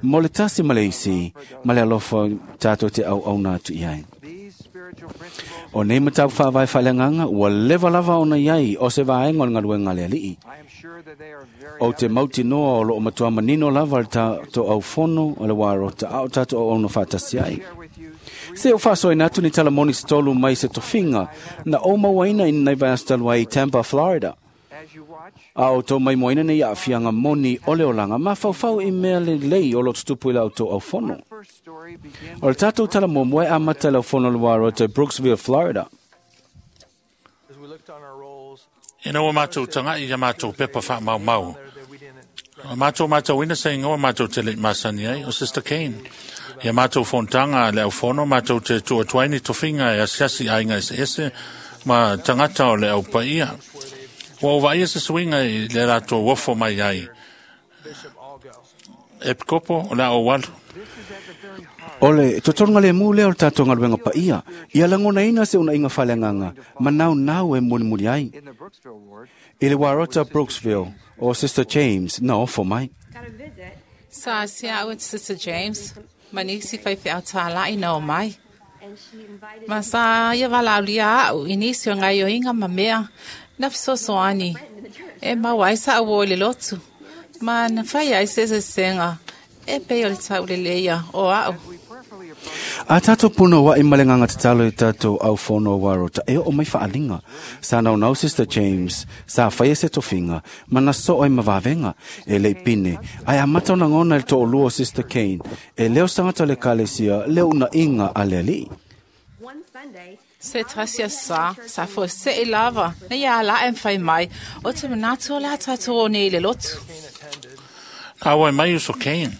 Mo le tasi ma le isi ma le alofa tātou te au au nā atu i ai. these spiritual principles. O nei matau whaavai whaaleanganga ua lewa lava ona iai o se vaenga o le ngaluenga le alii. I am sure that they are very O te mauti noa o loo matua manino lava le tātou au fono o le warota au tātou au ono whaatasi ai. share with you Se o whaasoina atu ni talamoni se tolu mai se tofinga na o mauaina i nei vaiaso ai i Tampa, Florida. as you watch. A o tō mai moina nei a whianga moni o le olanga ma whauwhau i mea le lei o lo tutupu i lau tō au fono. First story begins O le tātou tala momoe a mata lau fono le warota Brooksville, Florida. As we looked on our rolls, Ina ua mātou tangai ia mātou pepa wha mau mau. there that we didn't O mātou mātou ina se ingoa mātou te le masani ai, o Sister Kane. Ia mātou fontanga le au fono, mātou te tuatuaini tofinga e asiasi ainga ese ese, ma tangata o le au paia. Ua o vaia se suinga i le rātou wofo mai ai. Bishop Algo. E pikopo o le au walu. O le totoronga le mu lea o le tātou ngaluenga paia. Ia langona ina se una inga whaleanganga. Manau nau e mulimuli ai. in the Brooksville ward. I le warota Brooksville o Sister James na ofo mai. Sa sia au Sister James, manisi whai whiau tālai na o mai. Ma sa ia walaulia au, inisi o ngai o inga ma mea, na fesoasoani. E mau ai sa au o le lotu. Ma na whai ai se se senga, e pei o le tau le leia o au. We prayerfully approach A tātou puna wa i malenganga te talo i tātou au whono warota e o mai whaalinga. Sa nau nau Sister James, sa whaia se tofinga, mana so ai mawawenga, e lei pine. Ai amata ona ngona le to'olua Sister Kane, e leo sangata le kalesia, leo una inga a le alii. Se tasia sa, sa fo se e lava, na ia ala e mwhai mai, o te manatu o le tātou o nei le lotu. Na awa mai uso Kane.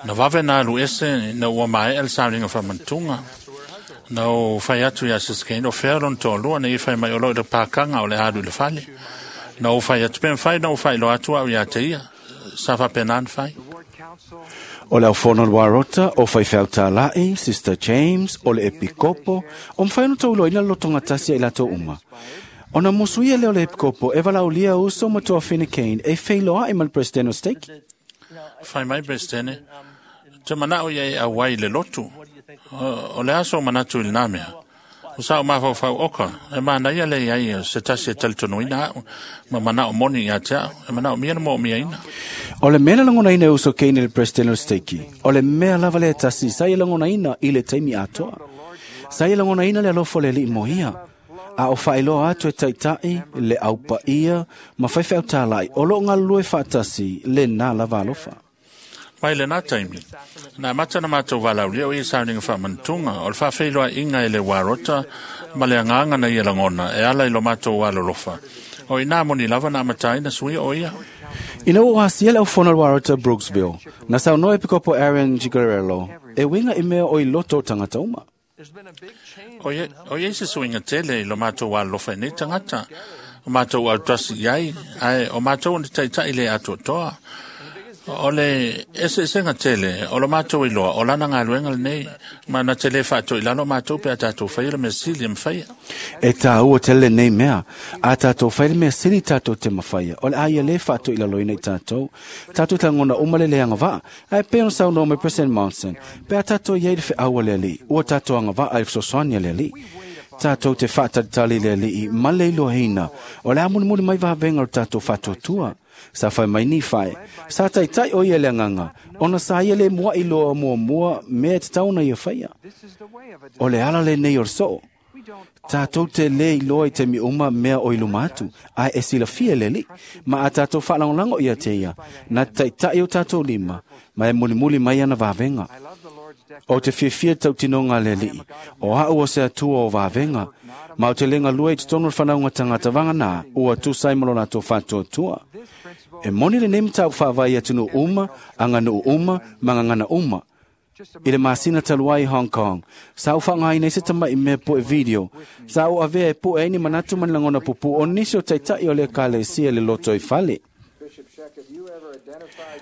Na wawe na alu ese na ua mae el sauninga whamantunga. Na o whai atu ia Sister Kane, o whea lon tōlua na i whai mai o lo i le pākanga o le alu i le fale. Na o whai atu pen whai, na o whai lo atu au ia te ia. Sa whapenan whai. O le aufono le warota, o whaiwhau tāla'i, Sister James, o le epikopo, o mwhai no taulo ina lotonga tasia i lato uma. O na musuia leo le epikopo, e valaulia uso matua Fine Kane, e wheiloa i mal presidente o stake. Whai mai presidente, te manao ia e awai le lotu. O le aso manatu i le namea. O sa o mawhau oka, e mana ia le ia se tasi e talitonuina au, ma manao moni ia te au, e manao mia na mo mia ina. O le mea langona ina uso Kane le presidente o stake. O le mea lava le tasi, sa ia langona ina i le taimi atoa. Sa ia langona ina le alofo le li moia. A o whaeloa atu e taitai, le aupa ia, ma whaiwhau tālai, o lo ngā lue whaatasi, le nā lava alofa. Mai le nā taimi. Nā mata na mātou walaulia o i sauninga whamantunga, o le whawheiloa inga e le warota, ma le anganga na ia langona, e ala i lo mātou walolofa. O i nā moni lava nā matai na sui o ia. Ina o asia le au warota Brooksville, na sau noe pikopo Aaron Gigarello, e winga i mea o i loto tangata uma. O ia se suinga tele i lo mātou walolofa i nei tangata. O mātou au tasi iai, ai o mātou ni taitai le atotoa. O le ese esenga tele, o lo mātou i loa, o lana ngā luenga le nei, ma na tele whaato i lalo mātou pe a tātou whaia le mesili mwhaia. E tā ua tele nei mea, a tātou whaia le mesili tātou te mawhaia, o le aia le whaato i lalo ina i tātou, tātou te ngona umale le anga waa, ai pe ono sau no me President Monson, pe a tātou iei le wheaua le ali, ua tātou anga waa ai whsosoania le ali. Tātou te whaatatali le ali, ma le iloa o le amunimuni mai vahavenga o tātou whaatotua. Sa whai mai ni whai. Sa taitai o ia le nganga. Ona sa ia le mua i loa mua mua mea te tauna ia whaia. O le ala le nei o soo. Tātou te le i loa i te mi uma mea o iluma atu. Ai e sila fia le li. Ma a tātou whaalangolango ia te ia. Na taitai o tātou lima. Ma e mulimuli mai ana vavenga. O te fiafia tautinonga le lii. O hau o se atua o vavenga. Ma o te lenga lua i te tono whanaunga tangata vanga nā. Ua tūsai molona tō whātua. E moni le nemi tau whaavai atunu uma, anga nuu uma, mangangana uma. I le masina taluai Hong Kong. Sa u whangai nei se tama i mea po e video. Sa u avea e po e ni manatu manilangona pupu o nisi o taitai o le kale sia le loto i fale.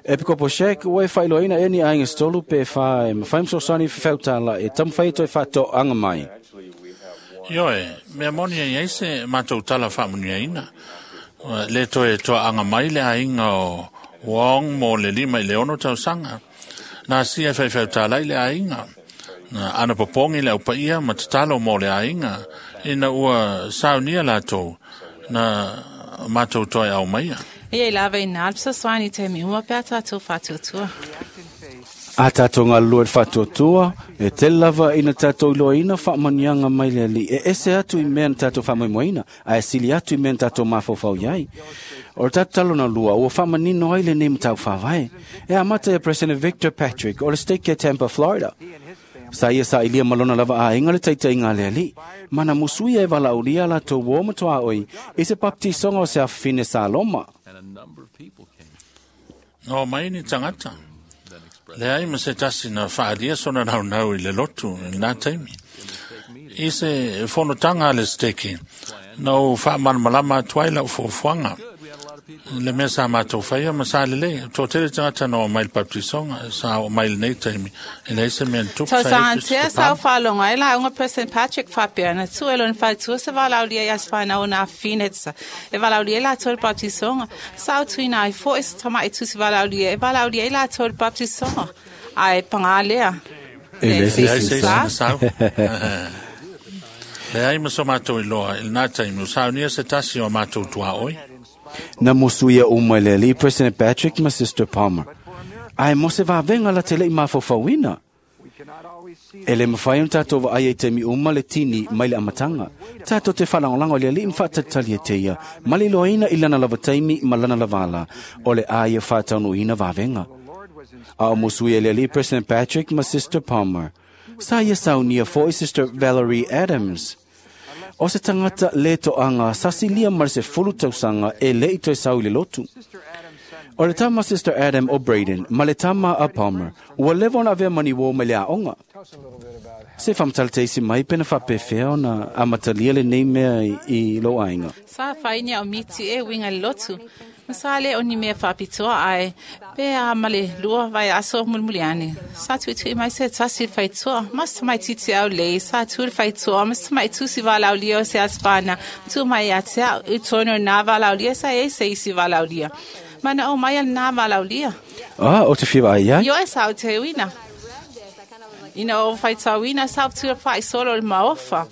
E pikopo shek, ua e whailoina e ni ainga stolu pe whae, ma whaim sosani whiwhautala e tamwhai toi whato anga mai. Ioe, mea moni e eise mātou tala whaamunia ina. Le toe toa anga mai le ainga o Wong mo le lima i le ono tausanga. Nā sia whaiwhau le ainga. Nā ana popongi le aupaia ma te talo mo le ainga. Ina ua saunia lātou nā mātou toi au maia. Ia i lava i nā alpsa swani te mi uma pea tātou whātuatua. A tātou ngā lua whātuatua, e te lava ina tātou iloa whaamanianga mai le ali. E ese atu i mea na tātou whaamoemoeina, a e sili atu i mea na tātou mawhauwhau iai. O le tātou talona lua, ua whaamanino ai le nei matau whāwae. E amata e President Victor Patrick o le stake e Tampa, Florida. Sa ia sa ilia malona lava a inga le taita inga le ali. Mana musuia e walaulia la tō wō matoa oi, i se baptisonga o se awhine Saloma. No mai ni tangata. Le ai ma se tasi na whaalia sona rau nau i le lotu i nā taimi. I se fonotanga le steki, na o whaamanmalama atu ai lau fuafuaga. Le mea sa mātou whaia ma sa lelei. Tō tere tangata no o mai le baptisonga, sa o mai le nei taimi. E lei se mea tupu Tau sa sa e antea sa o whaalonga e la unga President Patrick whapea na tu e lona whaitua se walaulia i aswhaina o nā whinetsa. E walaulia i la tō le baptisonga. Sa o tuina ai fo e se tama e tusi walaulia e walaulia i la tō le baptisonga. Ai pangalea. E le Le ai se Sa. se sau. Le ai ma so mātou i loa, i nā taimi, o saunia se tasi o mātou tua oi. Na musuia uma le ali President Patrick ma Sister Palmer. Ai mo se vavenga la tele i mawhawhauina. E le mawhai on tātou wa ai e te mi uma le tini mai le amatanga. Tātou te whalangolango le ali mwhatatali e te ia. Mali loaina i lana lava taimi ma lana lavala. O le a ia whātaunu ina wawenga. A o musui e le ali President Patrick ma Sister Palmer. Sa ia saunia foi Sister Valerie Adams. O se tangata le toanga sasilia mar se fulu tausanga e le i toi sau i le lotu. O le tama Sister Adam o Braden, ma le tama a Palmer, ua lewa ona avea mani wō mai le aonga. Se whamtalteisi mai pena whapewhea ona amatalia le nei mea i lo ainga. Sa whainia o miti e winga le lotu. Ma sa le o ni mea whapitoa ai, pe a male lua vai aso mulmuliani. Sa tuitui mai se tasi whaitua, mas mai titi au lei, sa tu whaitua, mas mai tusi valaulia o se asfana, tu mai atea, u tono nā valaulia, sa e se isi valaulia. Mana o mai al nā valaulia. Ah, o te whiwa ai ai? Io e sa o te uina. Ina o whaitauina sa tu whai solo le maofa.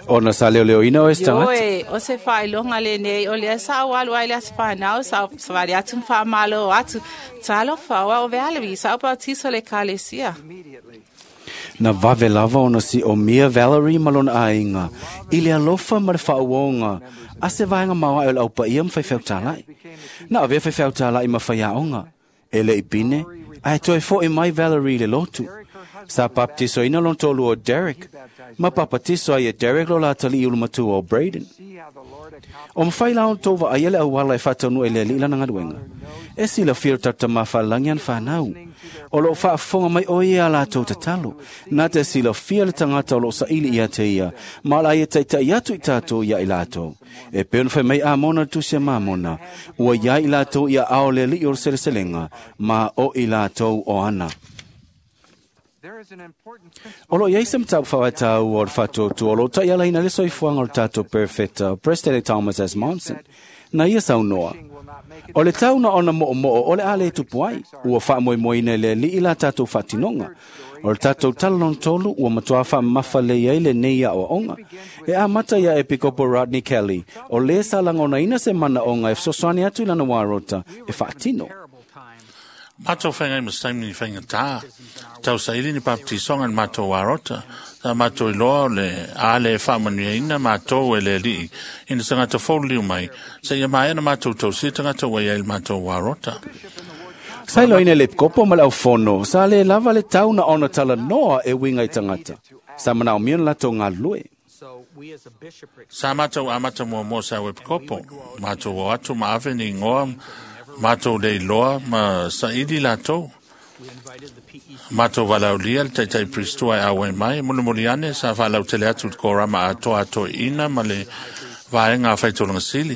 Ona sa leo leo ina o e stangata. Ioe, o se whailonga le nei, o lea sa o alu ai le aswhanau, sa o sawari atu mwha atu. Talofa, o au vealewi, sa o bautiso le kalesia. Na vave lava ona si o Mia Valerie malona ainga. I le alofa ma le whaauonga. A se vaenga maua e o le aupa ia mwhai wheutalai. Na avea whai wheutalai ma whai aonga. E le ipine, a e toe fo e mai Valerie le lotu. Sa baptiso ina lon tolu o Derek. Ma papatiso ai e Derek lo la tali ulu matua o Braden. O mwhai lao tova ai ele awala e whatanu e le li lana ngaduenga. E si la whiro tata mawhalangi an whanau. O lo whaafonga mai o ia la tau tatalo. Nā te si la whia le tangata o lo saili ia te ia. Ma la ia taitai atu i tātou ia i lātou. E peon whai mai a mona tusia mā mona. Ua ia i lātou ia ao le li o seleselenga. Ma o i lātou o ana. O lo iai se mtau whawatau o le whatotu o lo tai ala ina le soifuanga o le tātou perfecta President Thomas S. Monson. Na ia saunoa. O le tauna ona mo'o mo'o o le ale tupu ai, ua whaamoemoeina le li i la tātou whatinonga. O le tātou talalon tolu ua matua whaamafa le iai le nei a oaonga. E a mata ia Epikopo Rodney Kelly, o le sa langona ina se mana onga e sosoani atu i lana warota e whaatino. Mātou whaingai ma staimi ni whainga tā. Tau saili ni baptisonga ni mātou warota. Tā mātou iloa o le ale e whaamanuia ina mātou e le lii. Ina tangata fōliu mai. Sa ia maea na mātou tausia tangata wai ai le mātou warota. Sa ilo ina le kopo ma le au fono, sa le lava le tauna ona tala noa e winga i tangata. Sa manao mion lato ngā lue. Sa mātou amata mua mua sa webkopo. Mātou o atu ma ave ni ngoa mātou le iloa ma saili lātou. Mātou walaulia le taitai pristua e awe mai. Mulimuli ane sa whalau tele atu le korama atoa atoa ina ma le vaenga whaitolanga sili.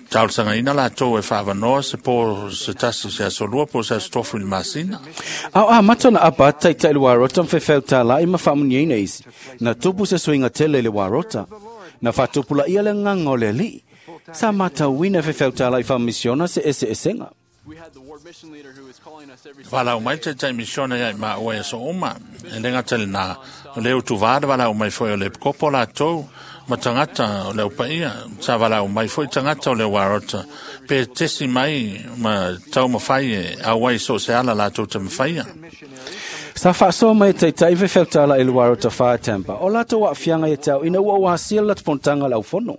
Taulsanga ina lātou e whaavanoa se pō se tasi se asolua pō se asotofu i le masina. Au a matona apa taitai le warota mwhewheu tā lai ma whaamuniaina isi. Na tupu se suinga tele le warota. Na whatupula ia le nganga o le li. Sa matauina whewheu tā lai whamisiona se ese esenga. Walau mai te tai misiona ia i maa oe so uma. E lenga tele nā. O le utu vāra walau mai foi o le kopo lātou ma tangata o le upaia. Sa walau mai foi tangata o le warota. Pe tesi mai ma tau mawhai e awai so se ala lātou te mawhaia. Sa whaasoa mai taitai whewheu tāla i le warota whātampa. O lātou wa whianga i tau ina ua wasia la te pontanga lau fono.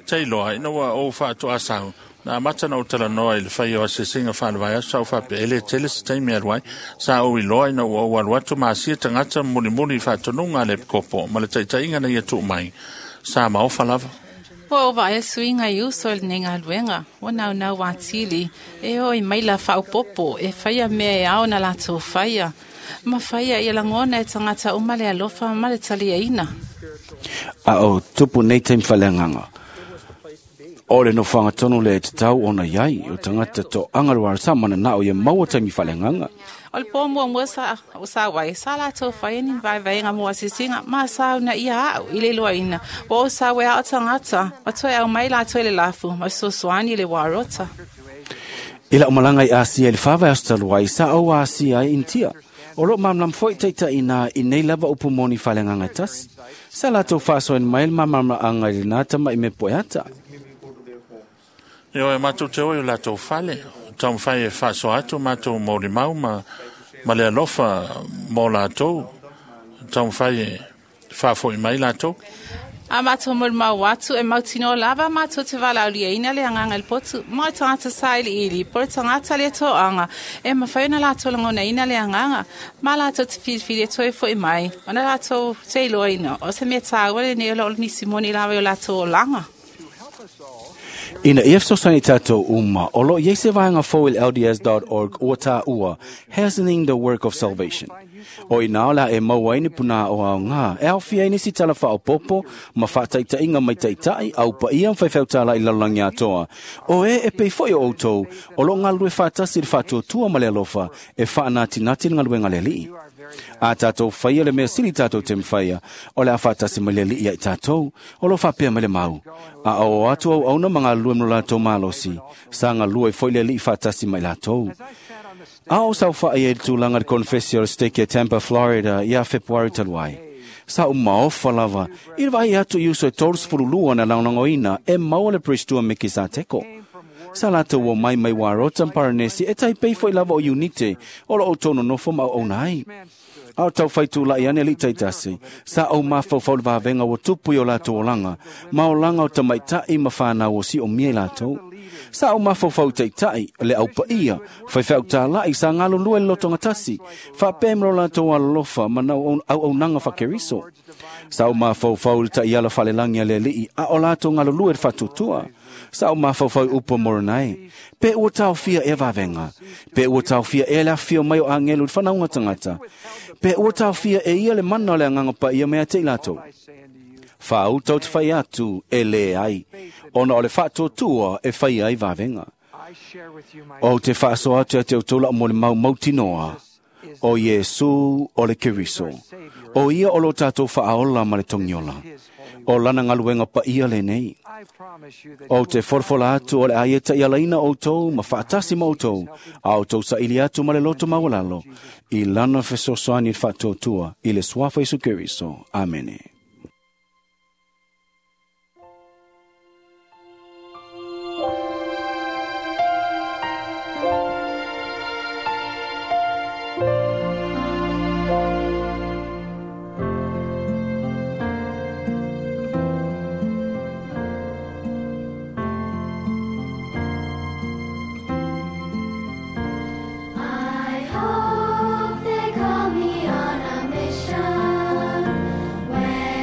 Te iloa, ina ua o whaato asau. Nā mata na o tala noa i le whai o asesinga whanawai aso au whape ele tele se taimi aluai. Sa o iloa ina ua o alu atu ma asia tangata mulimuli i whaatonunga le kopo. Ma le taitainga na ia tuu mai. Sa maofa lava. Ua o vaea suinga i uso le nenga luenga. O nau nau wātili. E o i maila whaupopo. E whaia mea e ao na lātou whaia. Ma whaia i langona e tangata o male alofa ma le talia ina. A o tupu nei taimi whaleanganga. O le no whangatonu le te tau ona iai o tangata to angaruara sa mana nā o ia maua taimi whaleanganga. O le pō mua mua sa, o sa wai, sa lātou whai ni vai vai ngā mua sisinga, ma sa una ia au i le lua ina. O o sa wea o tangata, ma toe au mai lātou le lafu, ma sosoani le warota. I la umalanga i Asia i le whawai astaluai, sa au Asia i Intia. O lo mamlam foi teita ina i nei lava upu moni whaleanganga tasi. Sa lātou whaasoen mai le mamama anga i le nā tama i me poeata. Io e mātou te oi o lātou whale. Tau mwhai e whaaso atu mātou mauri mau ma ma le alofa mo latou taumafai e faafo'i mai latou. A matou molimau atu e mautinoa lava matou te valaauliaina le agaga i le potu ma o tagata sailiili po o le tagata le toaga e mafai ona latou lagonaina le agaga ma latou te filifili e toe fo'i mai ona latou te iloaina o se mea tāua lenei o lo o nisi moni lava i o latou olaga. Ina ia fesoasoani tatou uma, o lo o i ai se vaega fou i le LDS.org ua tāua Hastening the Work of Salvation. O ina o le a e maua ai ni punā o aogā, e aofia ai nisi tala faaopoopo ma faataitaiga mai taitai, au paia ma faifeau i lalolagi atoa. O e e pei foi o outou, o lo o galulue faatasi i le faatuatua ma le alofa e faanatinati le galuega a le Alii. A tatou faia le mea sili tatou te mafaia, o le a faatasi mai le Alii ia i tatou, o lo o faapea mai le mau. A o atu auauna ma galulue ma lo latou malosi, sa galue foi le Alii faatasi ma i latou. A o saofa'i ai i le tulaga i le konefesi o le Stake e Tampa, Florida, ia Fepuari talu ai. Sa ou maofa lava i le vaai atu i uso e 32 na lagolagoina e maua le Priestua Mekisateko. Sa latou omai mai Warota ma Paranesi e taipei foi lava o Iunite o lo outou nonofo ma auauna ai. A o taufai tula'i ane alii taitasi, sa ou mafaufau i le vavega ua tupu i o latou olaga, ma olaga o tamaita'i ma fanau o si'omia i latou. Sa ou mafaufau i taitai, le aupaia, faifeau tāla'i sa galulue i le lotogatasi, faapea ma lo latou alolofa ma auaunaga faakeriso. Sa ou mafaufau i le ta'iala faalelagi a le Alii a o latou galulue i le faatuatua. Sa ou mafaufau i upu a Moronai, pe ua taofia ea vavega, pe ua taofia ea le afifio mai o agelu i le fanauga tagata, pe ua taofia e ia le mana o le agaga paia mai ia te i latou. Faauta o te fai atu e lē ai, ona o le faatuatua e faia ai vavega. Ou te faasoa atu ia te outou la'u molimau mautinoa, o Iesu o le Keriso. O ia o lo tatou faaola ma le togiola. O lana galuega paia lenei. Ou te folafola atu o le a ia ta'ialaina outou ma faatasi ma outou, a outou saili atu ma le loto maualalo, i lana fesoasoani i le faatuatua i le suafa Iesu Keriso. Amene. I hope they call me on a mission. When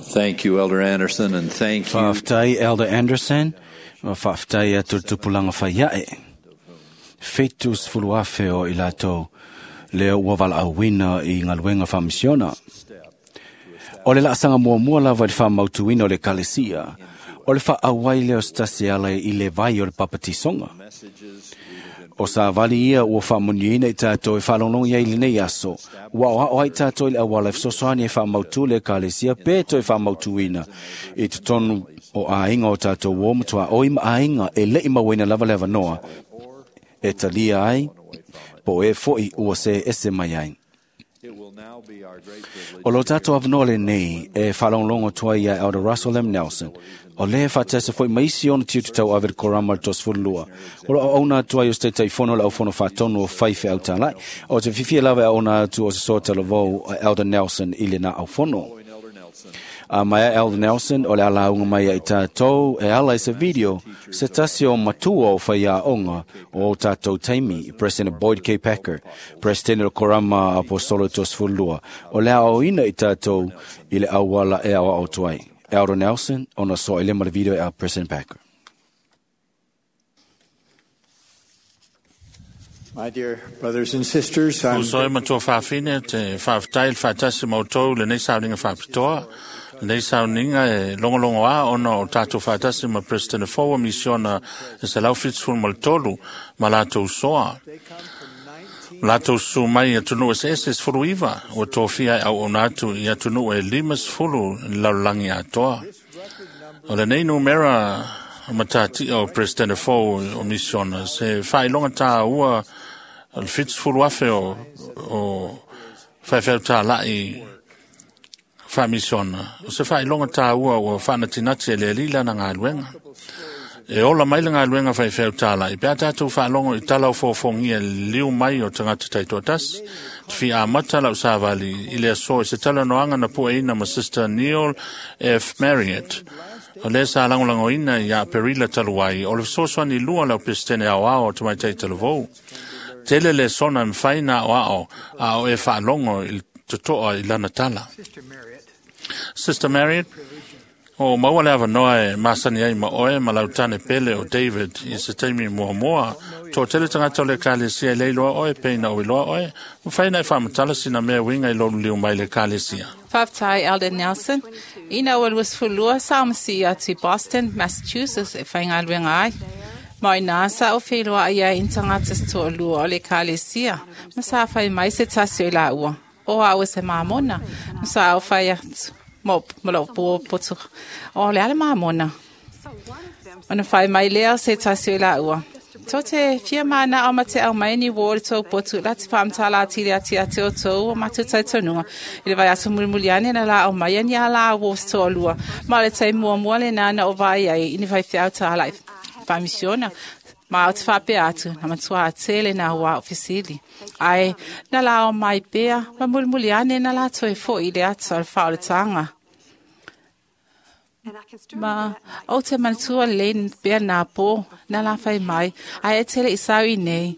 Thank you, Elder Anderson, and thank you. Faafetai Elder Anderson, ma faafetai atu le tupulaga faiaʻe. 70,000 o i latou lea ua valaauina i galuega faamisiona. O le laasaga muamua lava i le faamautuina o le ekalesia, o le faaauai lea o se tasi e ala i le vai o le papatisoga. O savali ia ua faamuniaina i tatou e faalogologo ai i lenei aso, ua aoao ai tatou i le auala e fesoasoani e faamautu le ekalesia pe toe faamautuina i totonu o aiga o tatou uo ma tuaoi ma aiga e le i mauaina lava le avanoa e talia ai po o e foʻi ua se ese mai ai. O lo tatou avanoa lenei e faalogologo atu ai iā Elder Russell M. Nelson, o lea e faatasi foi ma isi ona tiute tauave i le Korama o le 32. O lo auauna atu ai o se Taitaifono o le Aufono Faatonu o Faifeau Talai. O te fiafia lava e auauna atu o se soa talavou a Elder Nelson i lena aufono. A mai a Elder Nelson o le alauga mai ai tatou e ala i se video se tasi o matua o faiaoga o tatou taimi, President Boyd K. Packer, President o le Korama Aposolo 32, o le aoaoina i tatou i le auala e aoao atu ai. Elder Nelson, ona soa i lema le video e a President Packer. My dear brothers and sisters, I'm Uso e matua faafine te faafetai le faatasi ma outou lenei sauniga faapitoa. Lenei sauniga e logologo a ona o tatou faatasi ma President fou o misiona e 173 ma latou soa. Latou susu mai i atunuu eseese 19 ua tofia e auauna atu i atunuu e 50 i le lalolagi atoa. O lenei numera matatia o President fou o misiona se faailoga tāua o le 70,000 o faifeau talai faamisiona. O se faailoga tāua ua faanatinati e le Alii lana galuega. E ola mai le galuega faifeau talai, pe a tatou faalogo i tala o foofogia le liu mai o tagata taitoatasi. Te fia amata lau savali i le aso i se talanoaga na pueina ma Sister Neil F. Marriott. O lea sa lagolagoina ia Aperila talu ai, o le fesoasoani lua lau Pesetene aoao o Tamaitai Talavou. Tele le sona e mafai na aoao a o e faalogo i le totoa i lana tala. Sister Marriott, o maua le avanoa e masani ai ma oe ma lau tane pele o David i se taimi muamua. Toa tele tagata o le ekalesia e le iloa oe pe ina o iloa oe. Mafai na e faamatala sina mea uiga i lou liu mai le ekalesia. Faafetai Elder Nelson. Ina ua 22 sa masi atu i Boston, Massachusetts e faigaluega ai. Ma ina sa o whenua ai ai tagata se toalua o le ekalesia. Ma sa whai mai se tasi o i la ua. O au e se mamona. Ma sa o whai atu. Mo, ma lou po potu. O le ale mamona. Ona whai mai lea se tasi o i la ua. Tō te fia mana o mate au mai ni wō le tō potu la te whaamtala ati le ati ati o tō o matu tautonunga. I le vai aso mulimuli ane na la o mai ani a la wō se tō lua. Ma le tai mua mua le nana o vai ai ini vai whiau tā lai whamisiona. Ma o te whapea atu, na matua a tele nā wā o fisili. Ai, na la o mai pea, ma mulimuli ane na la toi fo i le ata o le whao le tānga. Ma o te manatua le pea nā pō, nā la whai mai, ai e tele i sau i nei.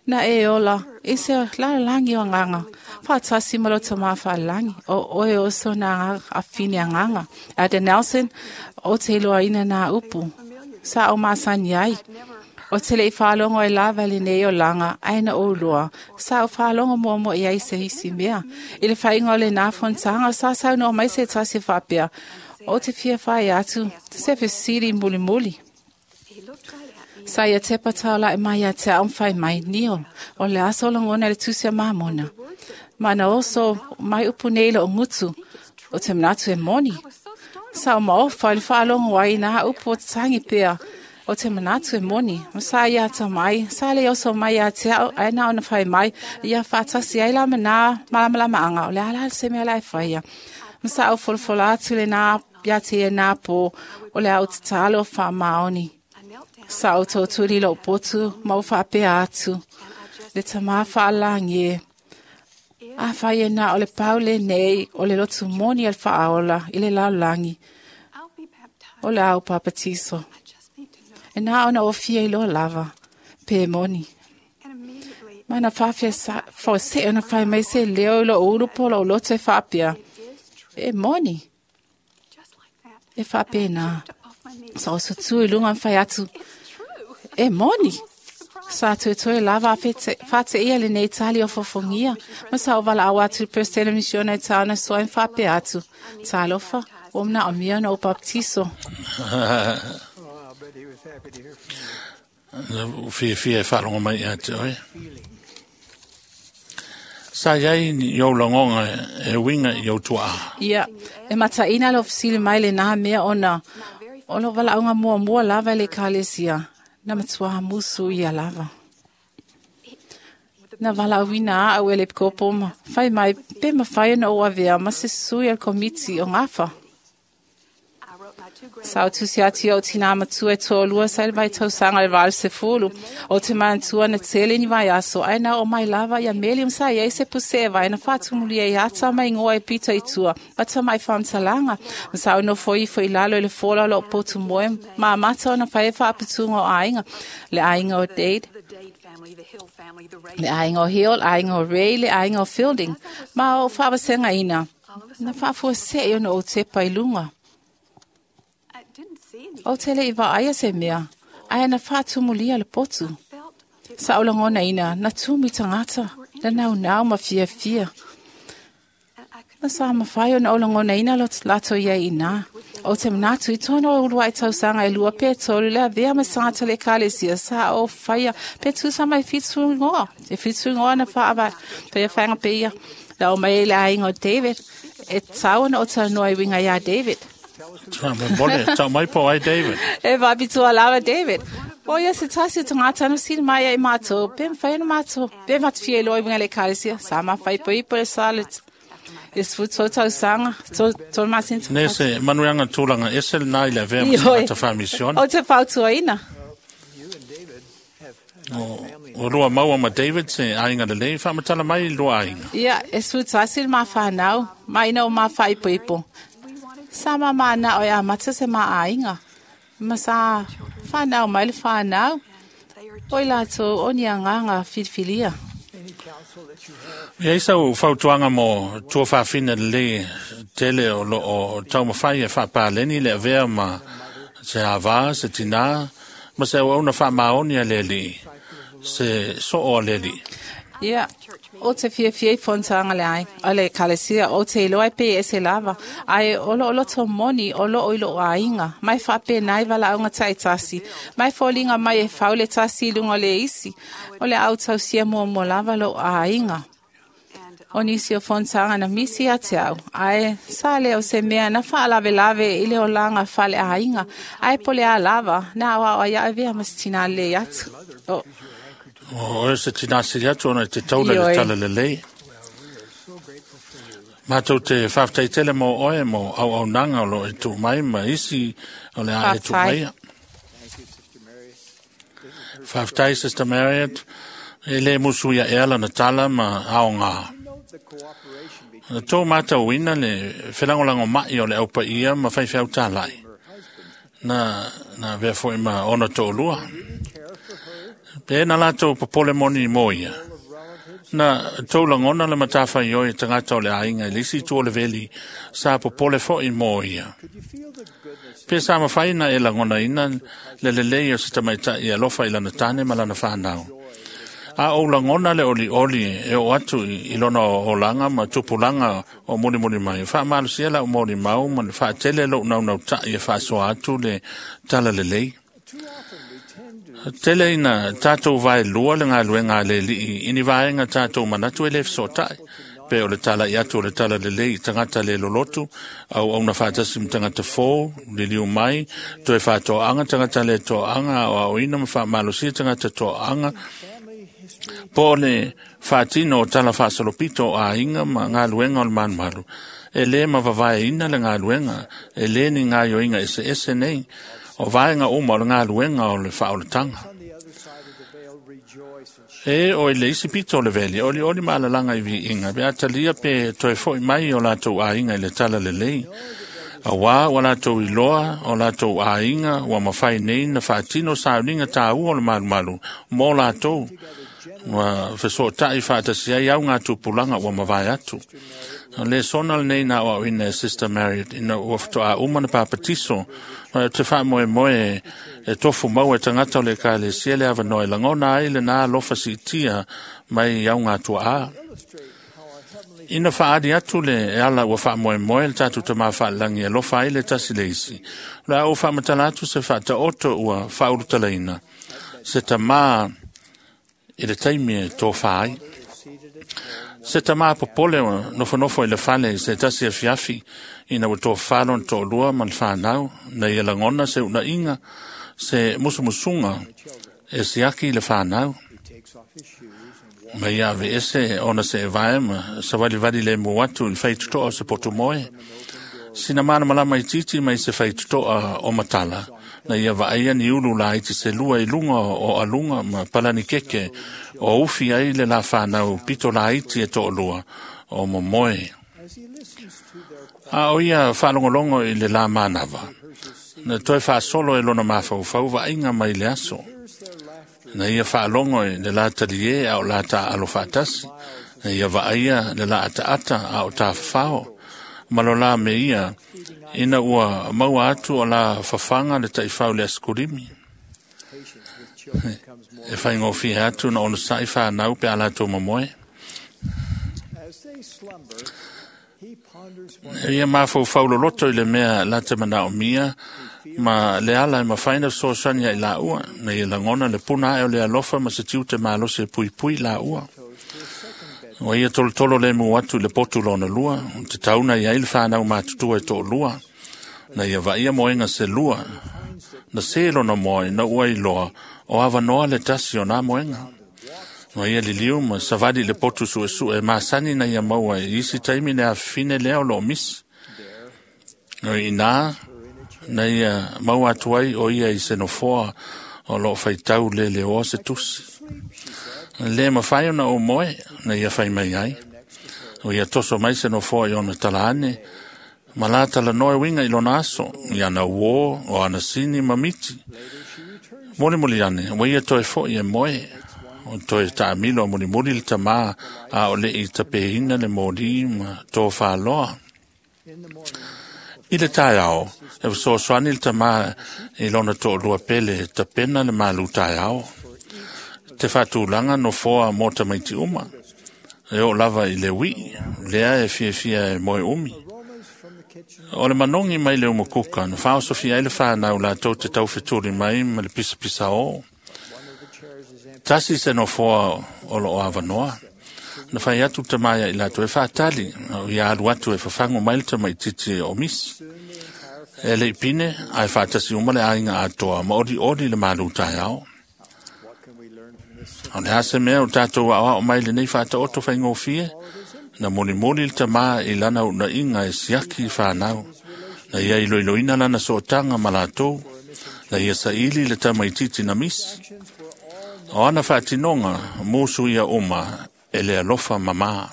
Na e ola, i se lalolangi o nganga, whātasi ma lo te mā langi, o oe o so nā ngā awhine a nganga. Elder Nelson, o te iloa ina nā upu, sa o māsani ai. O te le i whaalongo e lava le nei o langa, aina o lua. Sa o whaalongo mua mua i ai se hisi mea. I le whainga o le nā fontanga, sa sau no mai se tasi whapea. O te fia whai atu, te se fisiri muli muli. Sa ia te patau lai mai a te au whai mai nio. O le aso longona le tusia mamona. Mana oso mai upu nei lo ngutu. O te manatu e moni. Sa o maofa i le whaalongo ai nā upu o te tangi pea. O te manatu e moni. Ma sa ia ta mai, sa le oso mai a te au, ai nā ona whai mai, ia whātasi ai la mana malamalama anga. O le ala se mea lai whaia. Ma sa o folafola atu le nā ia te e nā pō, o le au te talo o wha maoni. Sa o tō turi lo potu, ma o whapea atu. Le tamā whaalangi e. A whai e nā o le paule nei, o le lotu moni al whaaola, i le laulangi. O le au papatiso. E nā ona o fia i loa lava, pe moni. Mana whawhia sa, whao se ona whai mai se leo i lo uru po lo loto e whapea. E moni. E faapena. Sa o sutu i luga ma fai atu, e moni. Sa tuetoe lava a faateia lenei tali o fofogia, ma sa o valaau atu i le Peresetene Misiona i taona soa e faapea atu, talofa, ua manaomia ona ou baptiso. Fiafia e faalogo mai ia te oe. Sa iai i ou lagoga e uiga i ou tuaa. Ia, e mataina le fesili mai lenā mea ona o lou valaauga muamua lava i le ekalesia, na matuā musu ia lava. Na valaauina au e le epikopo ma fai mai pe mafai ona ou avea ma se sui o le komiti o gafa. Sa ou tusi atu i ou tinā matua e toalua sa i le vaitausaga i le 80, o te manatua na tele ni vaiaso, ae na oo mai lava ia meli ma sa iai se puse e vai na faatumulia i ata ma igoa e pito i tua, ma tamai faamatalaga, ma sa ou nofo ifo i lalo i le fola o loo potu moe, ma amata ona fai e faaputuga o aiga, le aiga o Dade, le aiga o Hill, aiga o Ray, le aiga o Fielding, ma o faavasegaina, na faafuasei ona ou tepa i luga. O te le i vaaia se mea, ae na faatumulia le potu. Sa ou lagonaina, na tumu i tagata, na naunau ma fiafia. Na sa mafai ona ou lagonaina lo latou iai inā. O te manatu i tonu o uluai tausaga e 2 pe 3 le avea ma tagata le ekalesia sa o faia pe tusa mai 7 igoa. E 7 igoa na faava faia whainga pe ia. Na o mai le aiga o David, e tau ona o talanoa i winga iā David. Mole, tau mai po ai David. E vaapitua lava David. O ia se tasi o tagata na sili mai ai mātou, pe mawhai ana mātou, pe matufia i loa i winga le ekalesia, sa mawhai po ipo le sa le 13 tausaga, tolu masina. Ne se manuiaga tulaga ese lenā i le avea ma tagata faamisione. O te fautuaina. O lua maua ma David se aiga lelei, faamatala mai i lua aiga. Ia, e 11 le mafanau, ma ina o mafaipoipo. Sa mamana o e amata se maaiga. Ma sa whanau mai le whanau. O i lātou o ni agaga filifilia. Ia isa o fautuaga mo tua faafina lelei tele o loo taumafai e faapaleni le avea ma se avā, se tinā, ma se auauna faamaoni a le alii, se soo a le alii. Ia, o te fiafia i fonotaga le ai, o le ekalesia, o te iloa e pe ese lava, ae o loo loto moni o loo i loo aiga, mai faapena i valaauga taitasi, mai foliga mai e fau le tasi i luga o le isi, o le au tausia muamua lava loo aiga. O nisi o fonotaga na misi ia te au, ae sa lea o se mea na faalavelave i le olaga faleaiga, ae po le a lava, na aoao ai avea ma se tinā lelei atu. O, O oe se tinā sili atu ona i te taula le tala lelei. Mātou te faafetai tele mo oe mo auaunaga o loo e tuu mai ma isi o le a e tuu maia. Faafetai Sister Marriott, e le musu ia ea lana tala ma aoga. Na tou matauina le felagolagomai o le aupaia ma faifeau tālai. Na avea foi ma ona toalua. Pe na latou popole moni mo ia. Na tou lagona le matafaioi e tagata o le aiga i le isi itu o le veli sa popole foi mo ia. Pe sa mafai na e lagonaina le lelei o se tamaitai e alofa i lana tane ma lana whanau. A o lagona le olioli e o atu i lona olaga ma tupulaga o mulimuli mai. Faamalosia lau molimau ma le faatele lou naunautai e faasoa atu le tala lelei. Tele ina tātou vaelua le galuega a le alii i ni vaega tātou manatu e le fesootai. Pe o le tala i atu o le tala lelei i tagata le lolotu, auauna faatasi ma tagata fou, liliu mai, toe faatoaga tagata le toaga, aoaoina ma faamalosia tagata toaga, po o le faatino o tala faasolopito o aiga ma galuega o le malumalu. E lē mavavaeina le galuega, e lē ni gaoioiga eseese nei, o vaega uma o le galuega o le faaolataga. E o i le isi pito o le veli, olioli ma alalaga i viiga, pe a talia pe toe fo'i mai o latou aiga i le tala lelei. Auā ua latou iloa o latou aiga ua mafai nei na faatino sauniga tāua o le malumalu mo latou, ua fesootai faatasi ai au gā tupulaga ua mavae atu. O le sona lenei na o ina e Sister Marriott ina ua whatoa uma na papatiso. Ma te wha moe moe e tofu mau e tangata o le ekalesia le awanoa e langona ai le nā alofa siitia mai au ngā tua a. Ina whaari atu le e ala ua wha moe moe le tātou te mawhaalangi e lofa ai le tasi le isi. O le au whaamatala atu se whaata oto ua whaurutalaina. Se tamā i le taimi e tō whaai. Se tamā popole o nofonofo i le fale se tasi e fiafi ina ua tō whalo na tō lua ma le whanau na ia langona se una inga se musumusunga e siaki i le whanau. Ma ia ave ese ona se e vae ma sa wali wali le mu atu i whaitutoa o se potu moe. Sina mana malama i titi mai se whaitutoa o matala. Na ia vaaia ni ulu la iti se lua i lunga o alunga ma palani keke o ufi ai le la whanau pito la iti e tō lua o momoe. A o ia whalongolongo i le la mānawa. Na toi whaasolo e lona mawhaufau vainga mai le aso. Na ia whaalongo i le la talie a o la ta alo whaatasi. Na ia vaaia le la ataata a o tā whawhao. Malo la me ia, ina ua maua atu o la whawhanga le taifau le askurimi. E whaingofia atu na ono sai whanau pe ala tō mamoe. Ia mawhaufau loloto i le mea la te manao mia, ma le ala e mawhaina so sani i la ua, na ia langona le puna ae o le alofa ma se tiute malose pui pui la ua. O ia tolo tolo le mu atu le potu lona lua, te tauna ia i le whanau mātutua e tō lua, na ia vaia moenga se lua, na se lona moe na ua i loa, o awanoa le tasi o nā moenga. No ia liliu ma savali le potu sue sue masani na ia maua i isi taimi le afine lea o lo misi. No i nā, na ia maua atu ai o ia i se nofoa o lo whaitau le le oa se tusi. Le mawhai ona o moe, na ia whai mai ai. O ia toso mai se nofoa i ona talane, ma la tala noe winga i lona aso, i ana uo, o ana sini ma miti. Moli moli ane, o ia toe fo i e moe, o toe taamilo a muli muli le tamā a o le i tapehina le mōli ma tō whāloa. I le taeao, e wasoasoani le tamā i lona tō lua pele tapena le malu taeao. Te whātūlanga no foa mō tamaiti uma. E o lava i le wii, lea e fiafia e moe umi. O le manongi mai le umukuka, na whaosofia ai le whanau la tau te tau wheturi mai ma le pisa pisa o. Tasi se no foa o lo awanoa. Na whai atu te maia i lātou e whaatali, o ia alu atu e whawhango mai le tamaititi o misi. E le ipine, ai whaatasi uma le ainga atoa, ma ori ori le malu tai ao. O le hase mea o tātou ao mai le nei whaata oto whaingofie, na moni moni le tamā i lana una inga e siaki i whanau. Na ia i loiloina lana sootanga ma lātou, na ia saili le tamaititi na misi. O ana whaatinonga, mūsu ia uma, e le alofa mamā.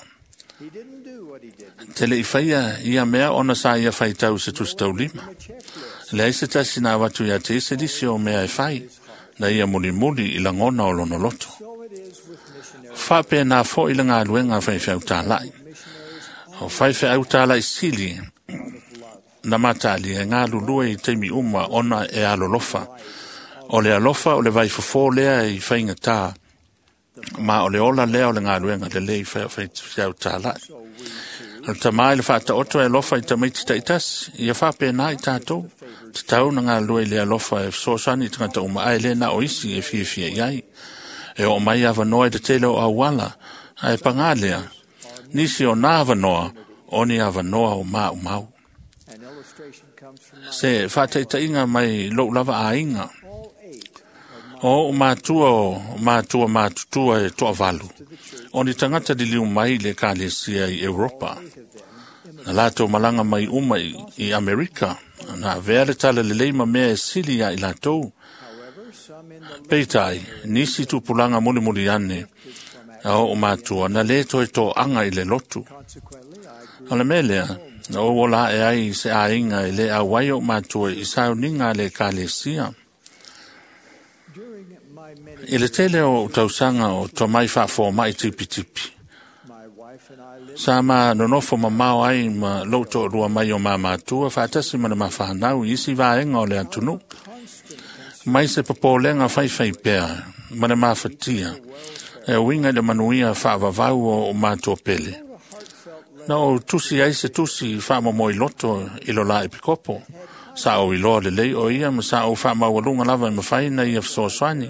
Te le i whaia ia mea ona sa ia whaitau se tusi taulima. Le aise tasi nā watu ia te ese lisi o mea e whai, na ia muli muli i langona o lono loto. Whape nā fo i le ngā luenga whaiwhiau tālai. O whaiwhiau tālai sili, na matali e ngā lulua i teimi uma ona e alolofa. O le alofa o le vaifofo lea i whainga tā, ma o le ola lea o le ngā luenga le lei whaiwhiau tālai. O le tamai le whaata oto e alofa i tamaiti taitasi, ia whape nā i tātou. Te tau na ngā lua i le alofa e sosani i tangata uma ai le na o isi e fiafia i ai. E o mai awanoa i te tele o awala, ai pangā lea. Nisi o nā awanoa, o ni awanoa o mā umau. Se whātaitainga mai lou lava a inga. O mātua o mātua mātutua e toa valu. O ni tangata liliu mai le kalesia i Europa. Na lātou malanga mai uma i Amerika. Na vea le tala le leima mea e sili ia i lātou. Peitai, nisi tupulanga muli muli ane. A o mātua, na le toe tō anga i le lotu. O le mea lea, na o la e ai se ainga i le awai o mātua i sauninga le kalesia. I le tele o tausanga o tō mai whaafo mai tipi tipi. Sa ma nonofo mamao ai ma lou toalua mai o mamatua faatasi ma le mafanau i isi vaega o le atunuu. Mai se popolega faifai pea ma le mafatia e uiga i le manuia faavavau o matua pele. Na ou tusi ai se tusi faamomoiloto i lo la epikopo. Sa ou iloa lelei o ia ma sa ou faamaualuga lava e mafai na ia fesoasoani.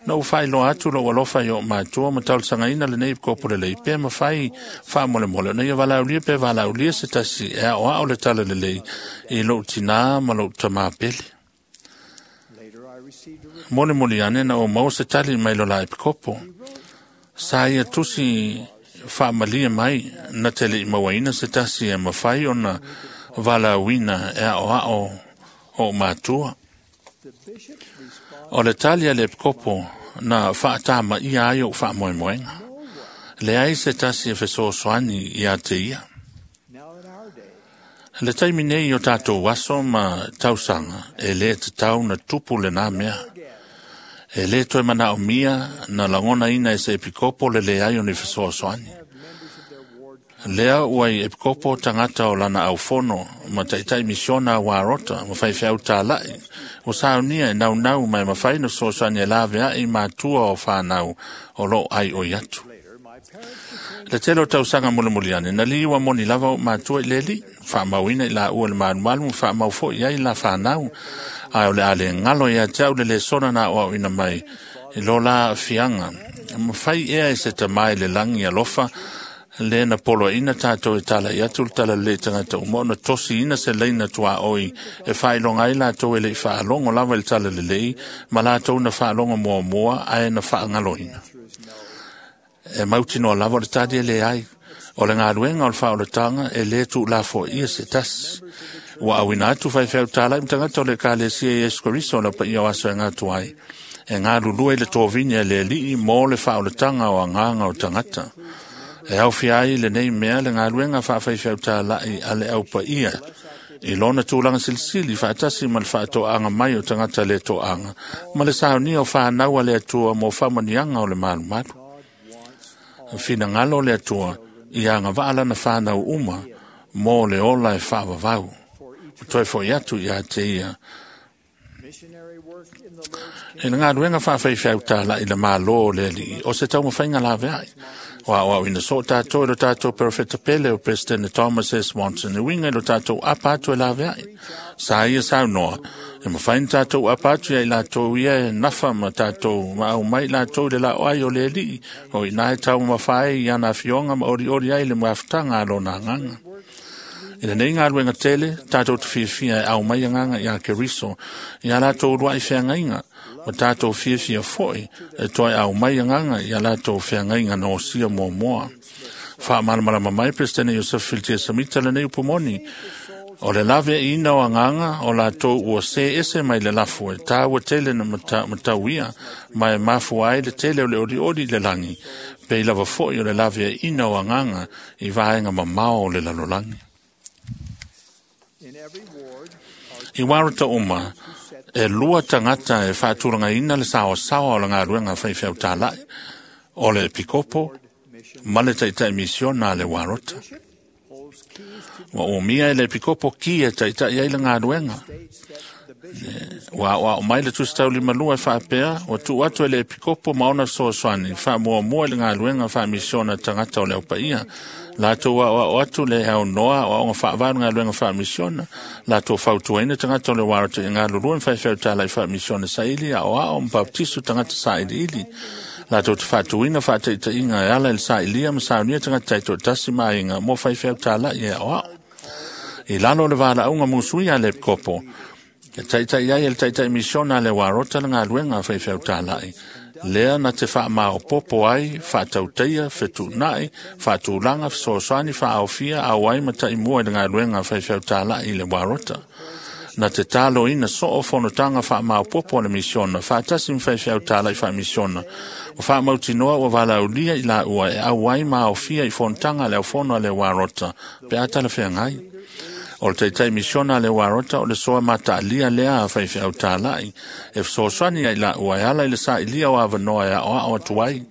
Na ou faailoa atu lou alofa i oo matua ma talosagaina lenei epikopo lelei pe mafai faamolemole ona ia valaaulia pe valaaulia se tasi e aoao le tala lelei i lou tinā ma lou tamā pele. Molimoli ane na ou maua se tali mai lo la epikopo. Sa ia tusi faamalie mai na te le'i mauaina se tasi e mafai ona valaauina e aoao o matua. O le tali a le epikopo na faatamaia ai ou faamoemoega. Leai se tasi e fesoasoani ia te ia. Le taimi nei o tatou aso ma tausaga e lē tatau na tupu lenā mea. E lē toe manaomia na lagonaina e se epikopo le leai o ni fesoasoani. Lea ua i epikopo tagata o lana aufono ma taitai misiona a warota ma faifeau tāla'i ua saunia e naunau ma e mafai na fesoasoani e lavea'i matua o fanau o loo ai oi atu. Le tele o tausaga mulimuli ane, na liua moni lava o matua i le alii, faamauina i laua le malumalu ma faamau foi ai la fanau. Ae o le a le galo ia te au le lesona na aoaoina mai i lo la aafiaga. Mafai ea e se tamā i le lagi alofa le na poloaina tatou e talai atu le talalelei i tagata uma ona tosiina se laina tuaoi e faailoga ai latou e le'i faalogo lava i le talalelei ma latou na faalogo muamua ae na faagaloina. E mautinoa lava o le tali e leai. O le galuega o le faaolataga e lē tuulafoaia se tasi. Ua auina atu faifeau tāla'i ma tagata o le Ekalesia Iesu Keriso o le paia o aso e gatu ai. E galulue i le tovini a le Alii mo le faaolataga o agaga o tagata. E aofia ai lenei mea le galuega faafaifeau tāla'i a le aupaia i lona tulaga silisili faatasi ma le faatoaga mai o tagata le toaga ma le saunia o fanau a le Atua mo faamanuiaga o le malumalu. Finagalo o le Atua ia agavaa lana fanau uma mo le ola e faavavau. Toe foi atu ia te ia. I le galuega faafaifeau tāla'i le Mālō o le Alii, o se taumafaiga laveai. Ua aoaoina soo tatou e lo tatou perofeta pele o President Thomas S. Monson e uiga i lo tatou apa atu e laveai. Sa ia saunoa, e mafai na tatou apa atu ia i latou ia e nafa ma tatou ma aumai i latou i le laoai o le Alii, o i ina e taumamafa ai i ana afioga ma olioli ai le mafutaga a lona agaga. I lenei galuega tele, tatou te fiafia e aumai agaga iā Keriso, ia latou ulua'i feagaiga, ma tatou fiafia foi e toe aumai agaga ia latou feagaiga na osia muamua. Faamalamalama mai Peresetene Iosefa Filitia Samita lenei upu moni. O le laveaiina o agaga o latou ua se ese mai le lafo e tāua tele na matauia ma e mafua ai le tele o le olioli i le lagi, pei lava foi o le laveaiina o agaga i vaega mamao o le lalolagi. I warota uma, e lua tagata e faatulagaina le saoasaoa o le galuega faifeau tāla'i, o le epikopo ma le taitai misiona a le warota. Ua umia e le epikopo ki e taitai ai le galuega. Ua aoao mai le Tusi Taulimalua e faapea, ua tuu atu e le epikopo ma ona fesoasoani faamuamua i le galuega faamisiona tagata o le aupaia. Latou aoao atu le aunoa aoaoga faavae o le galuega faamisiona, latou fautuaina tagata o le warota i galulue ma faifeau tāla'i faamisiona saili, aoao ma baptiso tagata sailiili. Latou te faatuina faataitaiga e ala i le sailia ma saunia tagata taitoatasi ma aiga mo faifeau tāla'i e aoao. I lalo o le valaauga musuia a le epikopo, e taitai ai e le taitai misiona a le warota le galuega a faifeau tāla'i. Lea na te faamaopopo ai, faatautaia, fetuunai, faatulaga, fesoasoani, faaofia, auai ma taimua i le galuega a faifeau tāla'i i le warota. Na te taloina soo fonotaga faamaopopo a le misiona, faatasi ma faifeau tāla'i faamisiona. Ua faamautinoa ua valaaulia i laua e auai ma aofia i fonotaga a le aufono a le warota, pe a talafeagai. O le taitai misiona a le warota o le soa mataalia lea a faifeau tāla'i, e fesoasoani ai laua e ala i le sailia o avanoa e aoao atu ai,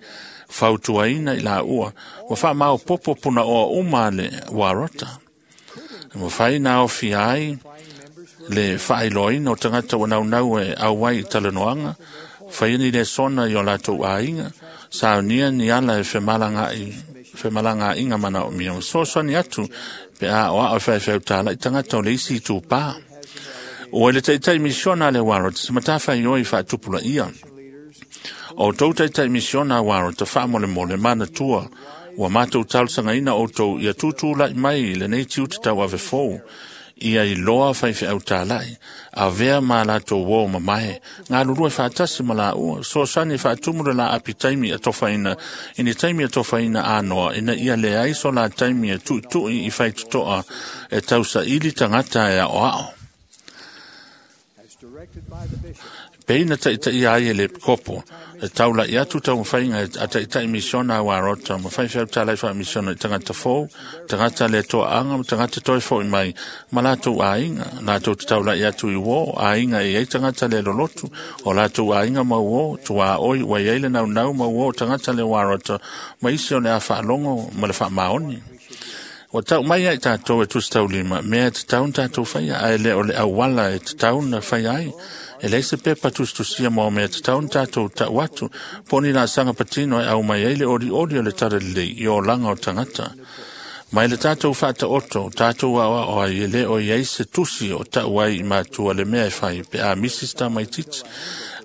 Fautuaina i laua, ua faamaopopo punaoa uma a le Warota. E mafai na aofia ai le faailoaina o tagata ua naunau e auai i talanoaga, faia ni lesona i o latou aiga, saunia ni ala e femalagaaiga manaomia, ma fesoasoani atu pe a aoao e faifeau talai tagata o le isi itupā. Ua i le taitai misiona a le Warota se matafaioi faatupulaia. O tou taitai misiona a Warota faamolemole manatua, ua matou talosagaina outou ia tutulai mai i lenei tiute tauave fou, ia iloa faifeau talai, avea ma latou uo mamae, galulue faatasi ma laua, fesoasoani e faatumu le laapi taimi atofaina, i ni taimi atofaina anoa, ina ia leai so la taimi e tuitui i faitotoa e tausaili tagata e aoao. Pei na taitaia ai e le epikopo, e taulai atu taumafaiga a taitai misiona a Warota ma faifeau talai faamisiona i tagata fou, tagata le toaaga ma tagata toe fo'i mai ma latou aiga, latou te taulai atu i uō, aiga e i ai tagata le lolotu, o latou aiga ma uō, tuaoi ua i ai le naunau ma uō o tagata le Warota ma isi o le a faalogo ma le faamaoni. Ua tau mai ai tātou e tusi taulima, mea e tatau na tātou faia, ae le o le auala e tatau na faia ai. E leai se pepa tusitusia mo mea e tatau na tātou tau atu, po o ni laasaga patino e aumai ai le olioli o le talalelei i olaga o tagata. Mai le tātou faataoto, tātou aoao ai e le o i ai se tusi o tau ai i matua le mea e fai pe a misi se tamaitiiti.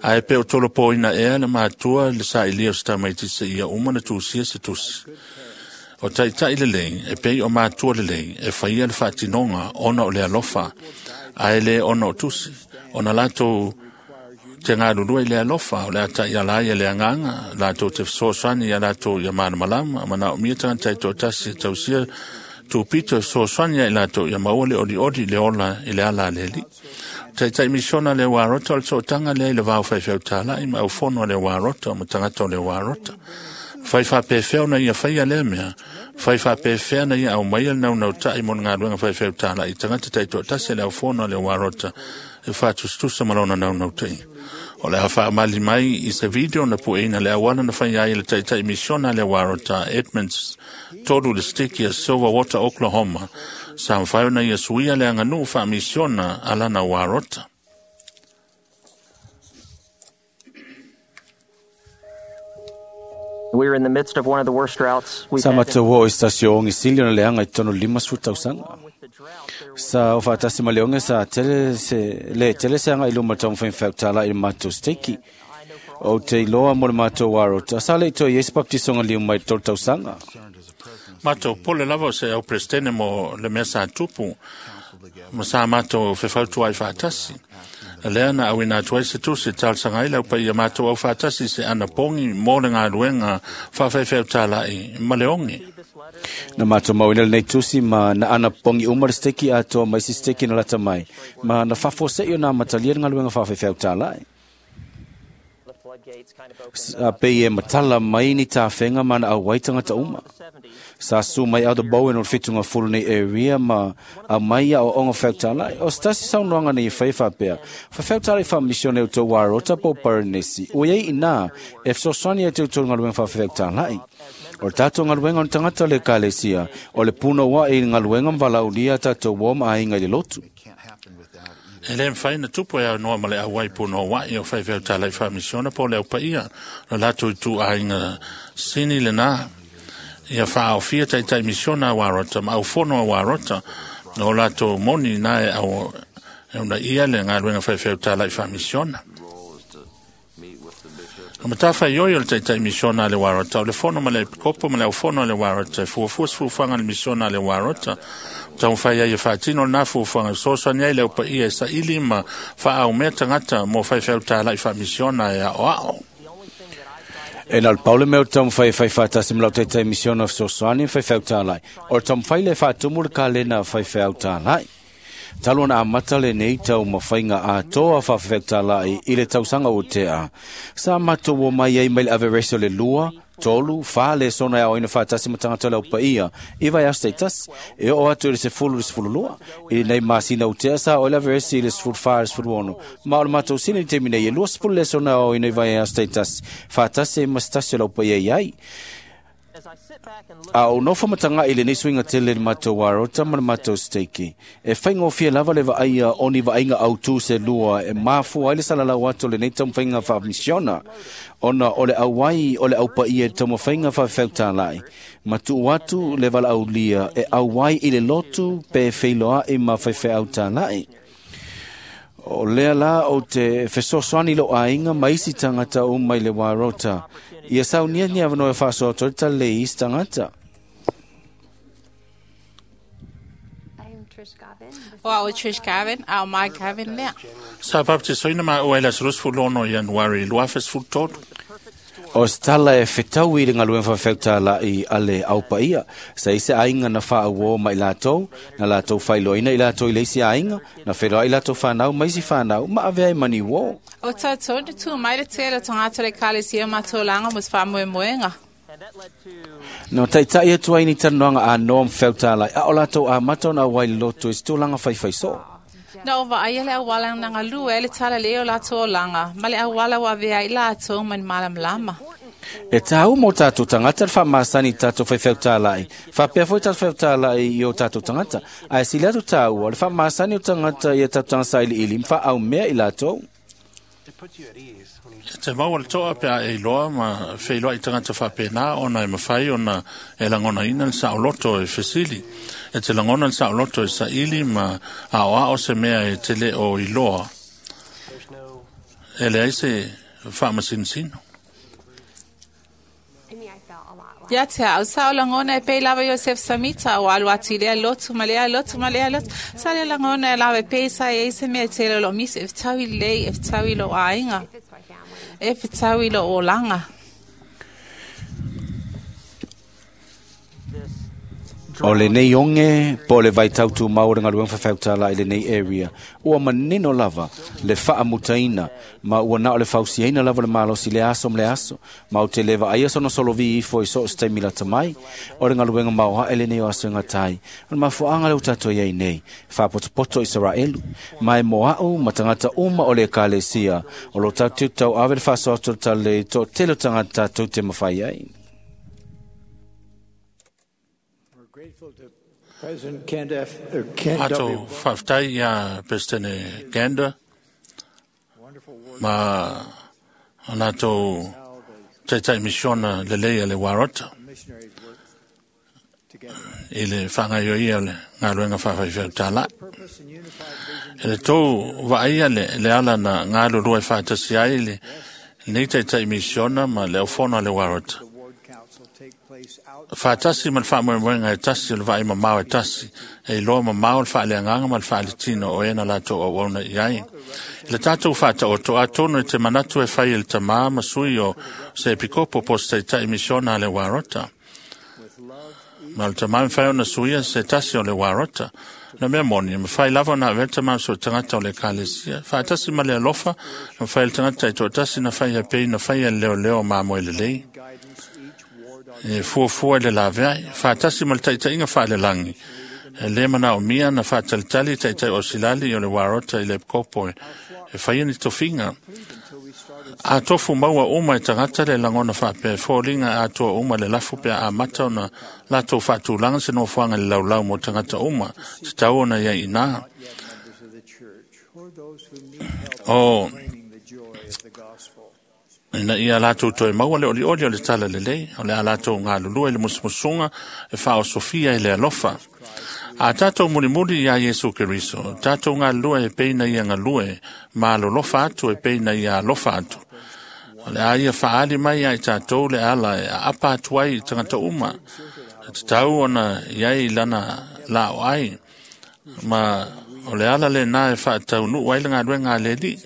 Ae pe o tolopoina ea le matua le sailia o se tamaitiiti seia uma na tusia se tusi. O taitai lelei, e pei o matua lelei, e faia le faatinoga ona o le alofa, ae le ona o tusi. Ona latou te galulue i le alofa, o le a taiala ai e le agaga, latou te fesoasoani ia latou ia malamalama, manaomia tagata e toatasi e tausia tupito e fesoasoani ia i latou ia maua le olioli i le ola i le ala a le Alii. Taitai misiona le Warota o le sootaga lea i le va o faifeau talai ma aufono a le Warota ma tagata o le Warota. Fai faapefea ona ia faia lea mea, fai faapefea na ia aumaia le naunautai mo le galuega faifeau talai i tagata taitoatasi a le aufono a le Warota e faatusatusa ma lona naunautai. O le a faamali mai i se video na pueina le auala na fai ai le taitai misiona a le Warota Edmonds tolu le stiki a Silverwater, Oklahoma, sa mafai ona ia suia le aganuu faamisiona a lana Warota. We are in the midst of one of the worst droughts we've Sa had. matou o i stasio ongi sili ona leaga i totonu 50 tausaga. Sa o faatasi ma le oge sa tele se le tele se aga i luma taumafai talai i le matou steki. O te iloa mo le matou Warota. Sa le i toe i ai se baptisoga liu mai i le 3 tausaga. Matou pole lava o se au presidente mo le mea sa tupu, ma sa matou fefautuai faatasi. Lea na auina atu ai se tusi e talosaga ai le aupaia matou au faatasi se anapogi mo le galuega faafaifeau talai ma le oge. Na matou mauina lenei tusi ma na anapogi uma le steki atoa ma isi steki na lata mai. Ma na faafuasei ona amatalia le galuega faafaifeau talai. Sa pei e matala mai ni tafega ma na auai tagata uma. Sa su mai Elder Bowen o le fetuga fulu nei area ma aumai aoaoga faifeau O se tasi saunoaga nei e fai faapea, faifeau talai faamisione o tou Warota po o Paranesi, ua iai inā e fesoasoani ai te outou galuega faafefeau talai. O le tatou galuega o ni tagata o le ekalesia, o le punouaʻi i le galuega ma valaaulia a tatou uo ma aiga i le lotu. E le mafai na tupu e aunoa ma le auai punouaʻi o faifeau talai faamisiona po o le aupaia o latou ituaiga sini lenā. Ia faaofia taitai misiona a Warota ma aufono a Warota o latou moni na e au e uunaia le galuega faifeau talai faamisiona. O matafaioi o le taitai misiona a le Warota, o le fono ma le epikopo ma le aufono a le Warota, e fuafua se fuafuaga a le misiona a le Warota, taumafai ai e faatino lenā fuafuaga e fesoasoani ai le aupaia e saili ma faaaumea tagata mo faifeau talai faamisiona e aoao. E na le pau le mea o le taumafai e fai faatasi ma lau taitai misiona fesoasoani ma faifeau talai. O le taumafai lea e faatumu le kalena faifeau talai. Talu ona amata lenei taumafaiga atoa faafefeau talai i le tausaga ua tea. Sa matou o mai ai mai le averese o le 2, 3, 4 lesona e aoaina faatasi ma tagata o le aupaia i vaiaso taitasi e oo atu i le 10 i le 12 i lenei masina utea sa oo i le averesi i le 14 i le 16 ma o le matou sini i le taimi nei e 20 lesona e aoaina i vaiaso taitasi faatasi ai ma se tasi o le aupaia i ai. A o nofo matagaʻi i lenei suiga tele i le matou arota ma le matou steiki. E faigofie lava le vaaia o ni vaaiga autū se lua e mafua ai le salalau atu o lenei taumafaiga faamisiona, ona o le auai o le aupaia i le taumafaiga faafefaeutalaʻi, ma tuu atu le valaaulia e auai i le lotu pe feiloaʻi ma faifeau talaʻi. O lea la ou te fesoasoani i lou aiga ma isi tagata uma i le Warota. Ia saunia ni avanoa e faasoa atu ai le talalelei i isi tagata. O au e Trish Gavin, a o Mike Gavin lea. Sa baptisoina maua i le aso 26 Ianuari 2013. O se tala e fetaui i le galuega faafefaeutalaʻi a le aupaia, sa i se aiga na faauō ma i latou, na latou faailoaina i latou i le isi aiga, na feiloai latou fanau ma isi fanau, ma avea ai ma ni uō. O tātou na tū mai le tele o tagata o le ekalesia ma tolaga mo se faamoemoega. Na taitaʻi atu ai ni talanoaga anoa ma fefaeutalaʻi, a o latou amata ona auai i le lotu i se tulaga faifaisoo. Na o vaaia le auala na galue ai le talalelei o latou olaga, ma le auala ua avea ai latou ma ni malamalama. E tāua mo tatou tagata le faamasani i tatou faifeau talaʻi, faapea foi tatou faifeau talaʻi i o tatou tagata, ae sili atu tāua le faamasani o tagata ia tatou tagata sailiili ma faaaumea i latou. E te maua le toa pe a e iloa ma feiloai tagata faapena ona e mafai ona e lagonaina le saoloto e fesili. E te lagona le saoloto e saili ma aoao se mea e te le o iloa. E leai se faamasinosino. Ia te au sa o lagona e pei lava Iosef Samita o alu atu i lea lotu ma lea lotu ma lea lotu. Sa lea lagona e lava e pei sa e se mea e tele o loo misi e fetau i lelei, e fetau i lou aiga, e fetau i lou olaga. O lenei oge po o le vaitau tumau o le galuega faafefaeutalaʻi i lenei area, ua manino lava le faamutaina ma ua na o le fausiaina lava le malosi i le aso ma le aso, ma ou te le vaaia sona solovi ifo i so o se taimi lata mai. O le galuega maoaʻe lenei o aso e gata ai, o le mafuaaga lea ua tatou iai nei, faapotopoto Isaraelu, ma e mo aʻu ma tagata uma o le ekalesia, o lo tatou tauave le faasoa atu o le talalelei i toatele o tagata tatou te mafai ai. President Kent F. Or Kent Ato W. faafetai iā Peresetene Gander ma o latou taitaʻi misiona lelei a le Warota i le faagaoioia o le galuega faafaifeau talaʻi. E le tou vaaia le ala na galulue faatasi ai le lenei taitaʻi misiona ma le aufono a le Warota. Faatasi ma le faamoemoega e tasi o le vaai mamao e tasi, e iloa mamao le faaleagaga ma le faaletino o e na latou auauna i ai. I le tatou faataoto atonu e te manatu e fai e le tamā ma sui o se epikopo po o se taitaʻi misiona a le Warota. Ma o le tamā e mafai ona suia se tasi o le Warota. Na mea moni, e mafai lava ona avea le tamā ma so o tagata o le ekalesia. Faatasi ma le alofa, e mafai e le tagata e toatasi na fai a pei na fai e le leoleo mamoe lelei. E fuafua i le laveai, faatasi ma le taitaiga faalelagi. E le manaomia na faatalitali taitai o silali o le Warota i le epikopo e faia ni tofiga. A tofu maua uma e tagata le lagona faapea e foliga atoa uma le lafu pe a amata ona latou faatulaga se nofoaga i le laulau mo tagata uma, tatau ona iai inā. O ina ia latou toe maua le olioli o le talalelei, o le a latou galulue i le musumusuga e faaosofia i le alofa. A tatou mulimuli iā Iesu Keriso, tatou galulue e pei na ia galue, ma alolofa atu e pei na ia alofa atu. O le a ia faaali mai ia i tatou le ala e aapa atu ai i tagata uma, e tatau ona iai lana lao ai, ma o le ala lenā e faataunuu ai le galuega a le Alii.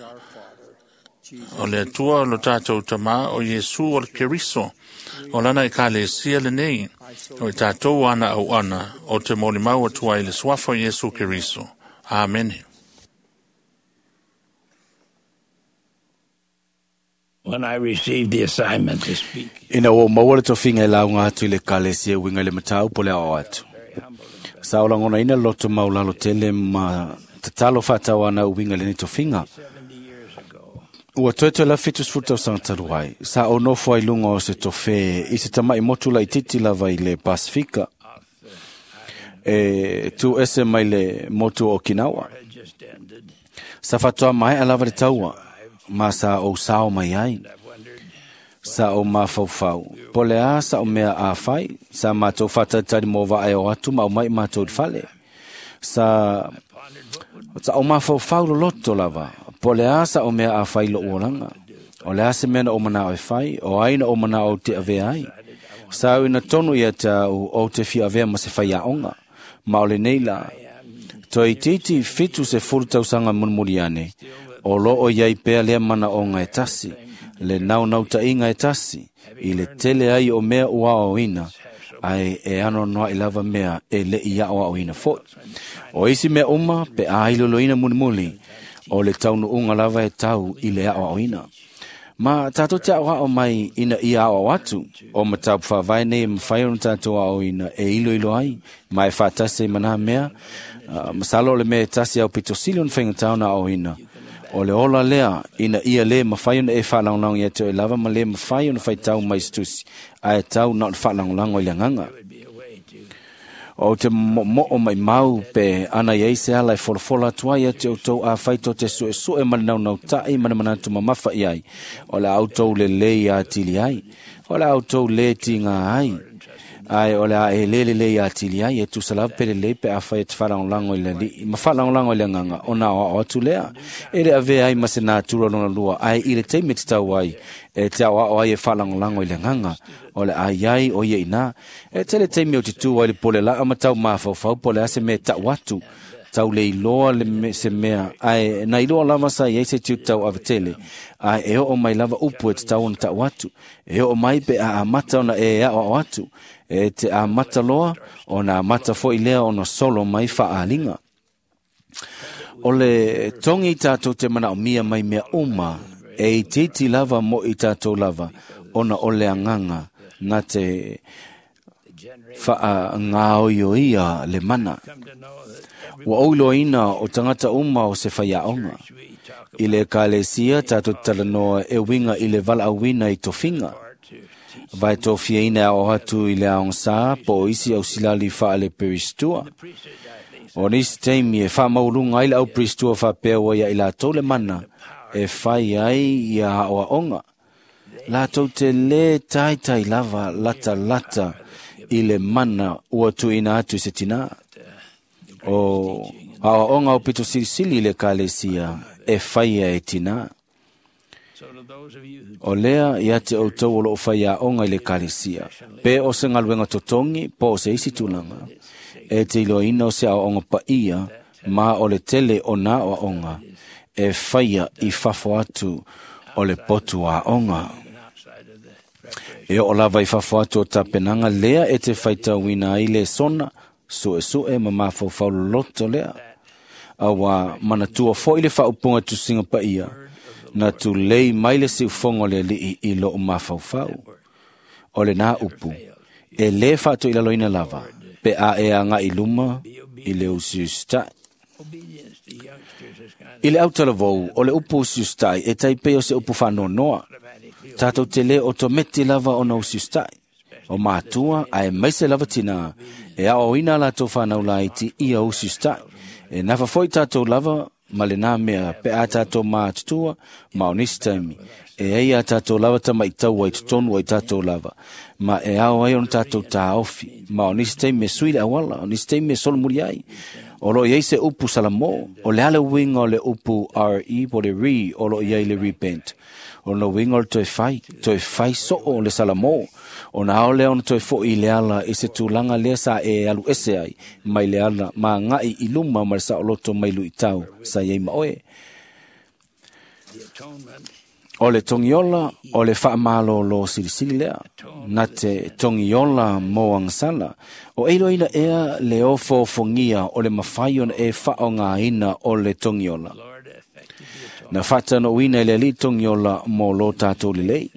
O le Atua o lo tatou tamā o Iesu o le Keriso, o lana ekalesia lenei, o i tatou ana auauna, o te molimau atu ai i le suafa o Iesu Keriso. Amene. When I received the assignment to speak, Ina ua maua le tofiga e lauga atu i le ekalesia e uiga i le mataupu o le aoao atu. Sa o lagonaina le loto maulalo tele ma tatalo faatauana e uiga i lenei tofiga. Ua toetoe lava 70 tausaga talu ai, sa ou nofo ai i luga o se tofē i se tama'i motu laitiiti lava i le Pasifika, e tu ese mai le motu o Okinawa. Sa faatoa maea lava le taua, ma sa ou sao mai ai. Sa ou mafaufau, po o le a sa'u mea a fai, sa matou faatalitali mo vaa e o atu ma aumai matou i le fale. Sa ou mafaufau loloto lava, po o le a sa'u mea a fai i lo'u olaga. O le a se mea na ou mana'o e fai, o ai na ou mana'o ou te avea ai. Sa uiina tonu ia te a'u ou te fia avea ma se faiaoga. Ma o lenei lā, toeitiiti 70 tausaga mulimuli ane, o loo i ai pea lea manaʻoga e tasi, le naunautaiga e tasi, i le tele ai o mea ua aoaoina, ae e anoanoaʻi lava mea e leʻi aoaoina foʻi. O isi mea uma pe a iloiloina mulimuli, o le taunuuga lava e tau i le aoaoina. Ma tatou te aoao mai ina ia aoao atu, o mataupu faavae nei e mafai ona tatou aoaoina e iloilo ai, ma e faatasi ai ma nā mea, masalo o le mea e tasi aupito sili ona faigata ona aoaoina, o le ola lea ina ia lē mafai ona e faalagolago ia te oe lava ma lē mafai ona faitau mai i se tusi, ae tau na o le faalagolago i le agaga. Ou te mo'omo'o maʻimau pe ana i ai se ala e folafola atu ai ia te outou afai tou te su'esu'e ma le naunauta'i ma le manatu mamafa i ai, o le a outou lelei atili ai, o le a outou lē tigā ai, ae o le a e lē lelei atili ai, e tusa lava pe lelei pe afai e te faalagolago i le Alii ma faalagolago i le agaga, ona aoao atu lea. E le avea ai ma se natura lona lua, ae i le taimi e tatau ai, e te aoao ai e faalagolago i le agaga, o le a i ai o ia iinā. E tele taimi ou te tū ai i le pole laa ma tau mafaufau po o le a se mea e ta'u atu, tau le iloa le se mea, ae na iloa lava sa i ai se tiute tauave tele, ae e oo mai lava upu e tatau ona ta'u atu. E oo mai pe a amata ona e aoao atu, e te amata loa, ona amata foʻi lea ona solo mai faaaliga. O le togi tatou te manaʻomia mai mea uma, e itiiti lava mo i tatou lava, ona o le agaga na te faagaoioia le mana. Ua ou iloaina o tagata uma o se faiaoga. I le ekalesia tatou te talanoa e uiga i le valaauina i tofiga. Vae tofiaina e aoao atu i le aogasā po o isi ausilali faale-peristua. O nisi taimi e faamaualuga ai le auperistua faapea ua ia i latou le mana e fai ai ia aoaoga. Latou te lē taitai lava latalata i le mana ua tuuina atu i se tinā. O aoaoga aupito silisili i le ekalesia e faia e tinā. O lea ia te outou o loo faiaoga i le ekalesia, pe o se galuega totogi po o se isi tulaga, e te iloaina o se aoaoga paia ma o le tele o nā aoaoga e faia i fafo atu o le potu aoga. E oo lava i fafo atu o tapenaga lea e te faitauina ai le sona, su'esu'e ma mafaufau loloto lea. Auā manatua foʻi le faaupuga tusiga paia, na tulei mai le siufogo o le Alii i lo'u mafaufau. O lenā upu, e lē faatoilaloina lava, pe a e agaʻi i luma i le usiusitaʻi. I le autalavou, o le upu usiusitaʻi e tai pei o se upu faanoanoa. Tatou te lē otometi lava ona usiusitaʻi. O matua, aemaise lava tinā, e aoaoina a latou fanau laiti ia usiusitaʻi. E nafa foʻi tatou lava ma lenā mea pe a tatou matutua ma o nisi taimi, e ai a tatou lava tamaʻi taua i totonu o i tatou lava, ma e ao ai ona tatou taofi, ma o nisi taimi e sui le auala, o nisi taimi e solomuli ai. O loo i ai se upu Salamō, o le a le uiga o le upu RE po o le re o loo i ai le repent. O lona uiga o le toe fai, toe fai soo le Salamō, ona ao lea ona toe foʻi i le ala i se tulaga lea sa e alu ese ai mai le ala ma agaʻi i luma ma le saoloto mai luitau sa i ai ma oe. O le togiola o le faamalōlō silisili lea, na te togiola mo agasala. O e iloaina ea le ofoofogia o le mafai ona e faaaogāina o le togiola. Na faatanouina e le Alii togiola mo lo tatou lelei.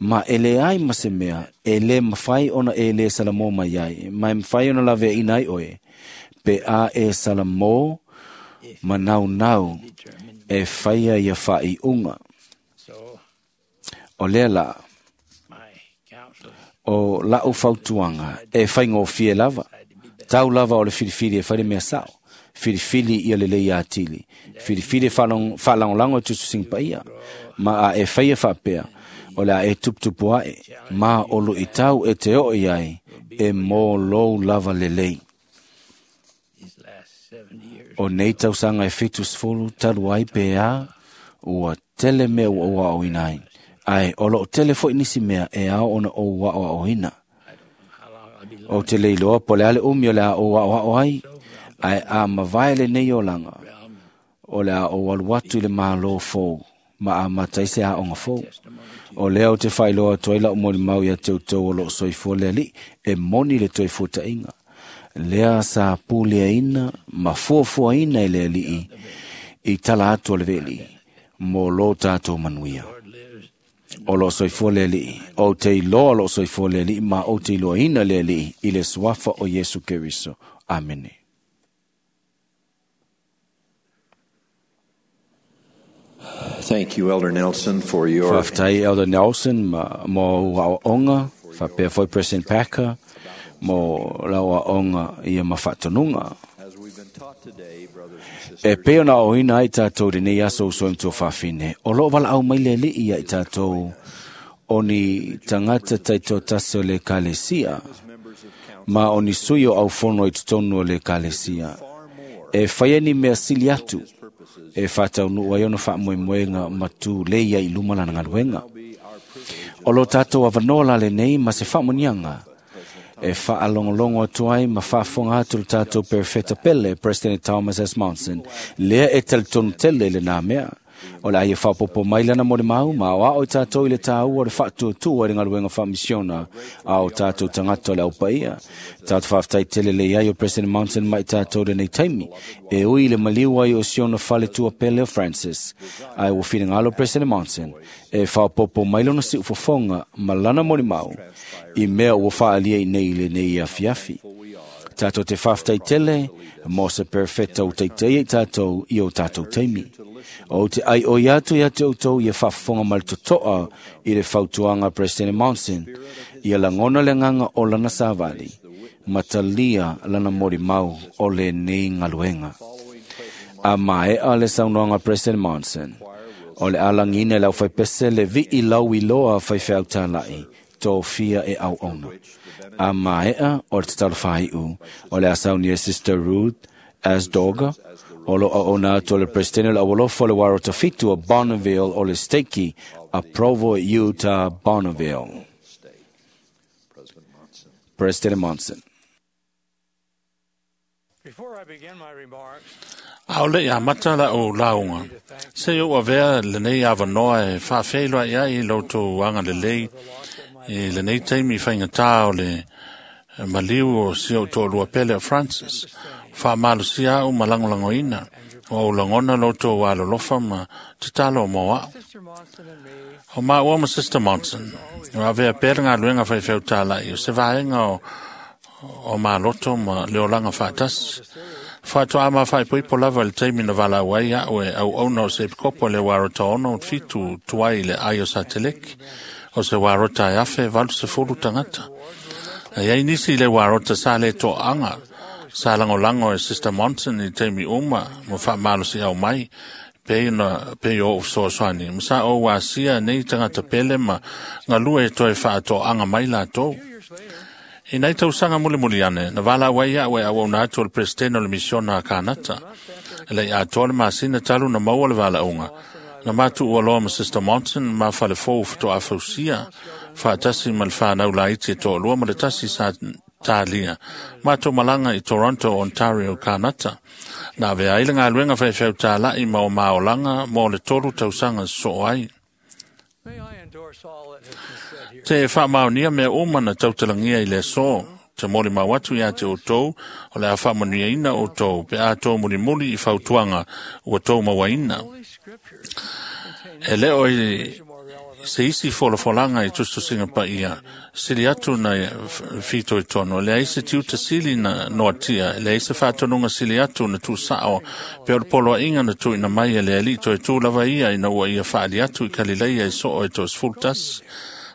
Ma e leai ma se mea e lē mafai ona e lē salamō mai ai, ma e mafai ona laveaina ai oe, pe a e salamō ma naunau e faia ia faaiuga. O lea la, o la'u fautuaga e faigofie lava, tau lava o le filifili e fai le mea sa'o, filifili ia lelei atili, filifili e faalagolago i tusitusiga paia, ma a e faia faapea, o le a e tuputupu ae, ma o luʻitau e te oo i ai, e mō lou lava lelei. O nei tausaga e 70 talu ai pe a, ua tele mea ua ou aoaoina ai, ae o loo tele foi nisi mea e ao ona ou aoaoina. Ou te le iloa po o le a le umi o le a ou aoao ai, ae a mavae lenei olaga, o le a ou alu atu i le Malo fou, ma amata ai se aoga fou. O lea ou te faailoa atu ai la'u molimau ia te outou o loo soifua le Alii, e moni le toe fuataʻiga. Lea sa puleaina ma fuafuaina e le Alii i tala atu o le veli, mo lo tatou manuia. O loo soifua le Alii, ou te iloa o loo soifua le Alii, ma ou te iloaina le Alii i le suafa o Iesu Keriso. Amene. Thank you, Elder Nelson, for your Faafetai Elder Nelson ma mo ou aoaoga, faapea foi President Packer mo lau aoaoga ia ma faatonuga. As we've been taught today, brothers and E sisters, pei ona aoaoina ai tatou lenei aso uso e matua faafine, o loo valaau mai le Alii ia i tatou o ni tagata taitoatasi o le Ekalesia, ma o ni sui o aufono i totonu o le Ekalesia, e faia ni mea sili atu, e faataunuu ai ona faamoemoega ma tulei ai i luma lana galuega. O lo tatou avanoa la lenei ma se faamuniaga, e faalogologo atu ai ma faafofoga atu le tatou perofeta pele, President Thomas S. Monson, lea e talitonu tele i lenā mea. O le a ia faapopo mai lana molimau ma aoao i tatou i le tāua o le faatuatua i le galuega faamisiona a o tatou tagata o le aupaia. Tatou faafetai tele le iai o President Monson mai tatou lenei taimi, e ui i le maliu ai o siona fale tuapele o Francis. Ae ua finagalo President Monson e faapopo mai lona siufofoga ma lana molimau i mea ua faaalia i nei i lenei afiafi. Tatou te faafetai tele mo se perofeta ua taitaia i tatou i o tatou taimi. Ou te ai oi atu ia te outou ia faafofoga ma le totoa i le fautuaga a President Monson, ia lagona le agaga o lana savali, ma talia lana molimau o lenei galuega. A maea le saunoaga a President Monson, o le alagina e le aufaipese le vii lau iloa faifeau tālaʻi, tofia e auauna. A maea o le tatalo faaiu, o le a saunia e Sister Ruth Asdorga, o lo auauna atu o le Presidente o le Aualofa o le Uarota Fitu o Bonneville o le Stake a Provo, Utah, Bonneville. President Monson. Before I begin my remarks, A o le ia mata la o launga. Se o avea lenei avanoa e faafeiloa ia i loutou aga lelei i lenei taimi faigata o le maliu o si ou toalua pele o Francis. Faamalosia au ma lagolagoina o ou lagona loutou alolofa ma tatalo mo au. Sister Monson and me O maua ma Sister Monson, o avea pea le galuega faifeau tālaʻi o se vaega o maloto ma le olaga faatasi. Faatoa ma faaipoipo lava i le taimi na valaau ai a'u e auauna o se epikopo le uarota 67 tuai i le ai o Sateleki, o se uarota e 1,080 tagata. E iai nisi i le uarota sa le toaga, sa lagolago e Sister Monson i taimi uma ma faamalosiau mai, pei na pei o ou fesoasoani, ma sa ou asia nei tagata pele ma galue e toe faatoaga mai latou. I nei tausaga mulimuli ane, na valaau ai a'u e auauna atu o le Peresetene o le Misiona a Kanata. E leʻi atoa le masina talu na maua le valaauga, na matuua loa ma Sister Monson ma falefou fatoafausia, faatasi ma le fanau laiti e toalua ma le tasi sa talia. Matou malaga i Toronto, Ontario, Kanata. Na avea ai le galuega faifeau tālaʻi ma o maolaga mo le 3 tausaga sosoo ai. May I endorse all that has been said here. Te faamaonia mea uma na tautalagia i le aso. te molimau atu iā te outou, o le a faamanuiaina outou, pe a tou mulimuli i fautuaga ua tou mauaina. E le o i se isi folafolaga i tusitusiga paia, sili atu na fitoitonu, e leai se tiute sili na noatia, e leai se faatonuga sili atu na tuusao, pe o le poloaiga na tuuina mai e le Alii toe tu lava ia ina ua ia faaali atu i Kalileia i soo e 11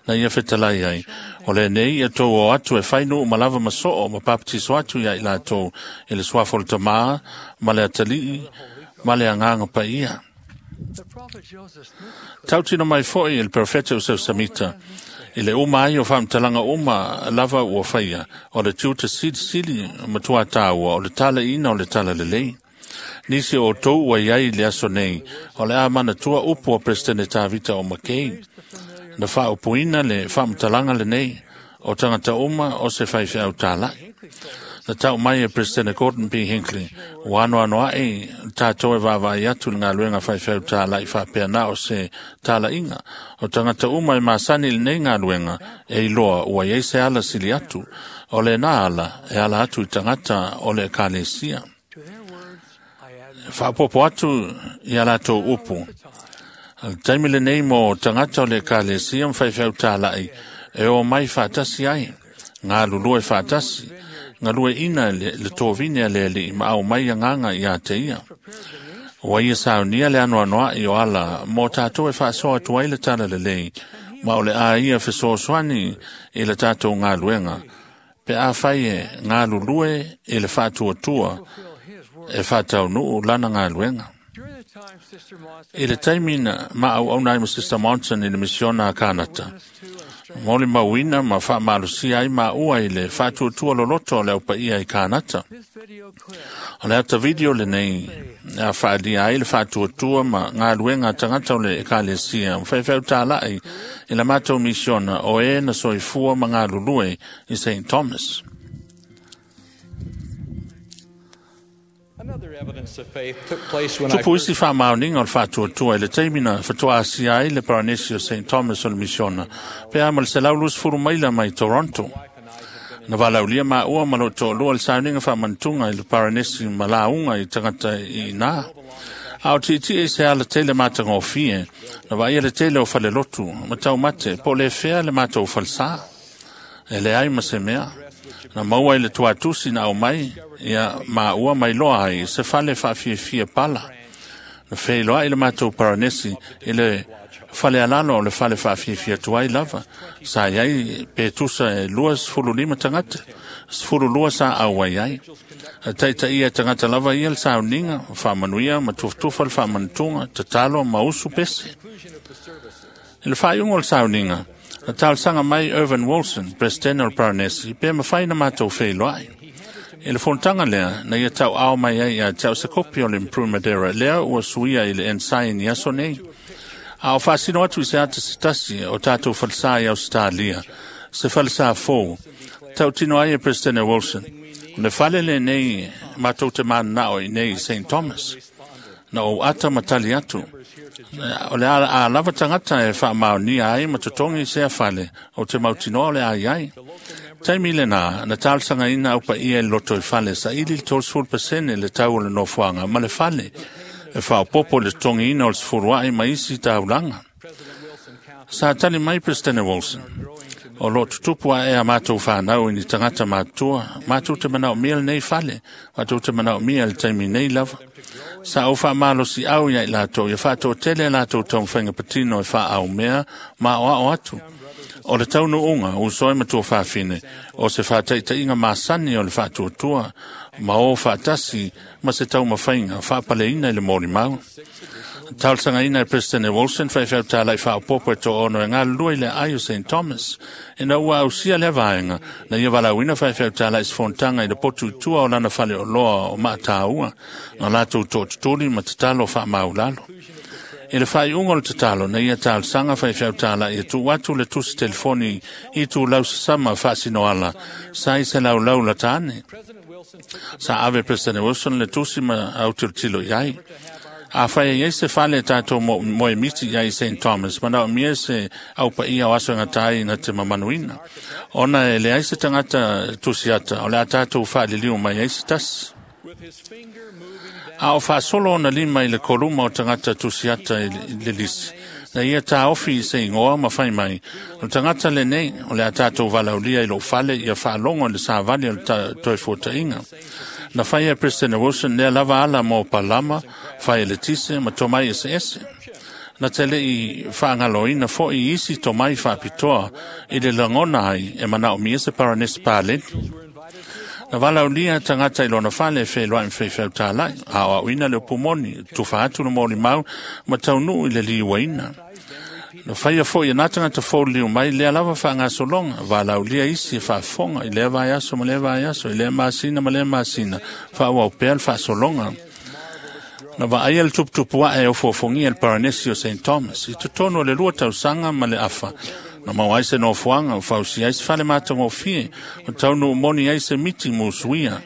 na ia fetalai ai. O lenei ia tou o atu e fai nuu ma lava ma soo ma papatiso atu ia i latou i le suafa o le Tamā ma le Atalii ma le Agaga Paia. Tautino mai foi e le profeta o Samita, i le uma ai o faamatalaga uma lava ua faia, o le tiute silisili matua tāua, o le talaina o le talalelei. Nisi o outou ua iai i le aso nei, o le a manatua upu a Peresetene Tavita o Makei. Na faaupuina le faamatalaga lenei, o tagata uma o se faifeau tālai. Na tau mai e President Gordon B. Hinckley, ua anoanoa'i tātou e vaavaai atu i le galuega faifeau tāla'i faapea na o se talaiga. O tagata uma e masani i lenei galuega, e iloa ua iai se ala sili atu. O lena ala, e ala atu i tagata o le ekalesia. Faapopo atu ia latou upu. O le taimi lenei mo tagata o le ekalesia ma faifeau tāla'i, e o mai faatasi ai, galulue faatasi, galueaiina le tovine a le Alii ma aumai agaga iā te ia. Ua ia saunia le anoanoa'i o ala mo tatou e faasoa atu ai le talalelei, ma o le a ia fesoasoani i le tatou galuega, pe afai e galulue i le faatuatua e faataunuu lana galuega. I le taimi na maauauna ai ma Sister Monson i le misiona a Kanata, molimauina ma faamalosia ai maua i le faatuatua loloto o le aupaia i Kanata. O le ata video lenei a faaalia ai le faatuatua ma galuega a tagata o le ekalesia ma faifeau tāla'i i la matou misiona o e na soifua ma galulue i St. Thomas. Another evidence of faith took place when I Tupu first isi faamaoniga o le faatuatua i le taimi na fatoasia ai le Paranesi o St. Thomas o le misiona, pe a ma le 120 maila mai Toronto. Na valaulia maua ma loo toalua le sauniga faamanatuga i le Paranesi ma lauga i tagata i ina. A o tiitii i se ala tele matagofie, na vaaia le tele o falelotu, ma taumate, po o le fea le matou falesā. E leai ma se mea. Na maua i le tuatusi na aumai, ia maua mai loa ai se fale faafiafia pala. Na feiloai le matou Paranesi i le fale alalo o le fale faafiafia tuai lava. Sa iai pe tusa e 25 tagata, 12 sa auai ai. Taitaia tagata lava ia le sauniga, faamanuia ma tufatufa le faamanatuga, tatalo ma usu pese. I le faaiuga o le sauniga, na talosaga mai Irvin Wilson, President o le Paranesi, pe mafai na matou feiloai. I le fonotaga lea, na ia tauao mai ai ia te au se kopi o le Improvement Era, lea ua suia i le Ensign i aso nei. A o faasino atu i se ata se tasi o tatou falesā i Ausetalia, se falesā fou, tautino ai e President Wilson, o le fale lenei matou te mananao i nei i St. Thomas. Na ou ata ma tali atu, o le a lava tagata e faamaonia ai ma totogi sea fale o te mautinoa o le a iai. Taimi lena, na talosagaina au paia i le loto i fale, saili le 30% le tau o le nofoaga ma le fale, e faaopopo i le totogiina o le sefulua'i ma isi taulaga. Sa tali mai President Wilson, o loo tutupu ae a matou fanau i ni tagata matutua, matou te manaomia lenei fale, matou te manaomia le taimi nei lava. Sa ou faamalosiau ia i latou, ia faatoatele a latou taumafaiga patino e faaaumea ma aoao atu. O le taunuuga, uso e matua fafine, o se faataitaiga masani o le faatuatua, ma o faatasi ma se taumafaiga faapaleina i le molimau. Talosagaina e President Wilson faifeau tāla'i faaopopo e toaono e galulue i le aai o St. Thomas. Ina ua ausia lea vaega, na ia valaauina faifeau tāla'i se fonotaga i le potu i tua o lana faleoloa o Maatāua, na latou tootutuli ma tatalo faamaulalo. I le faaiuga o le tatalo, na ia talosaga faifeau tāla'i e tuu atu le tusi telefoni i tulau sasama faasinoala, sa i se laulau lata ane. Sa ave President Wilson le tusi ma autilotilo i ai. A fai e iai se fale tatou moemiti i ai St Thomas, manaomia se aupaia o aso e gata ai na te mamanuina. Ona e leai se tagata tusiata, o le a tatou faaliliu mai ai se tasi. A o faasolo ona lima i le koluma o tagata tusiata i le lisi, na ia taofi i se igoa ma fai mai, o le tagata lenei, o le a tatou valaulia i lou fale ia faalogo i le savali o le toefuataiga. Na faia e President Wilson lea lava ala mo palama, fai eletise ma tomai eseese. Na te lei faagaloina foi isi tomai faapitoa i le lagona ai e manaomia se paranesi paleni. Na valaulia tagata i lona fale e feloai ma faifeau tālai, a o auina le upu moni, tufa atu le molimau ma taunuu i le liuaina. Na faia foi e nā tagata fou mai lea lava faagasologa, valaulia isi e faafofoga i lea vaiaso ma lea vaiaso, i lea masina ma lea masina, faaauau pea le faasologa. Na vaaia le tuputupu ae ofuofogia le paranesi o St Thomas i totonu o le 2 tausaga ma le afa. Na maua ai se nofoaga o fausia ai se fale matagofie, o taunuu moni ai se miti musuia.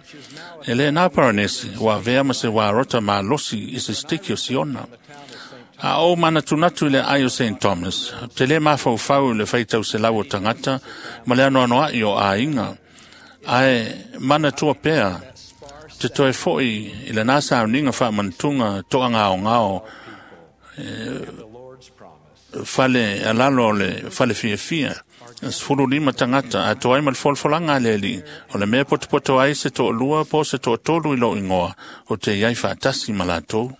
E le nā paranesi, ua avea ma se uarota malosi i se sitiki o Siona. A ou manatunatu i le ai o St Thomas, te lē mafaufau i le faitauselau o tagata ma le anoanoaʻi o aiga, ae manatua pea te toe foʻi i lenā sauniga faamanatuga toagaogao fale alalo o le fale fiafia 15 tagata atoa ai ma le folafolaga a le alii, o le mea potopoto ai se toalua po o se toatolu i lou igoa o te iai faatasi ma latou.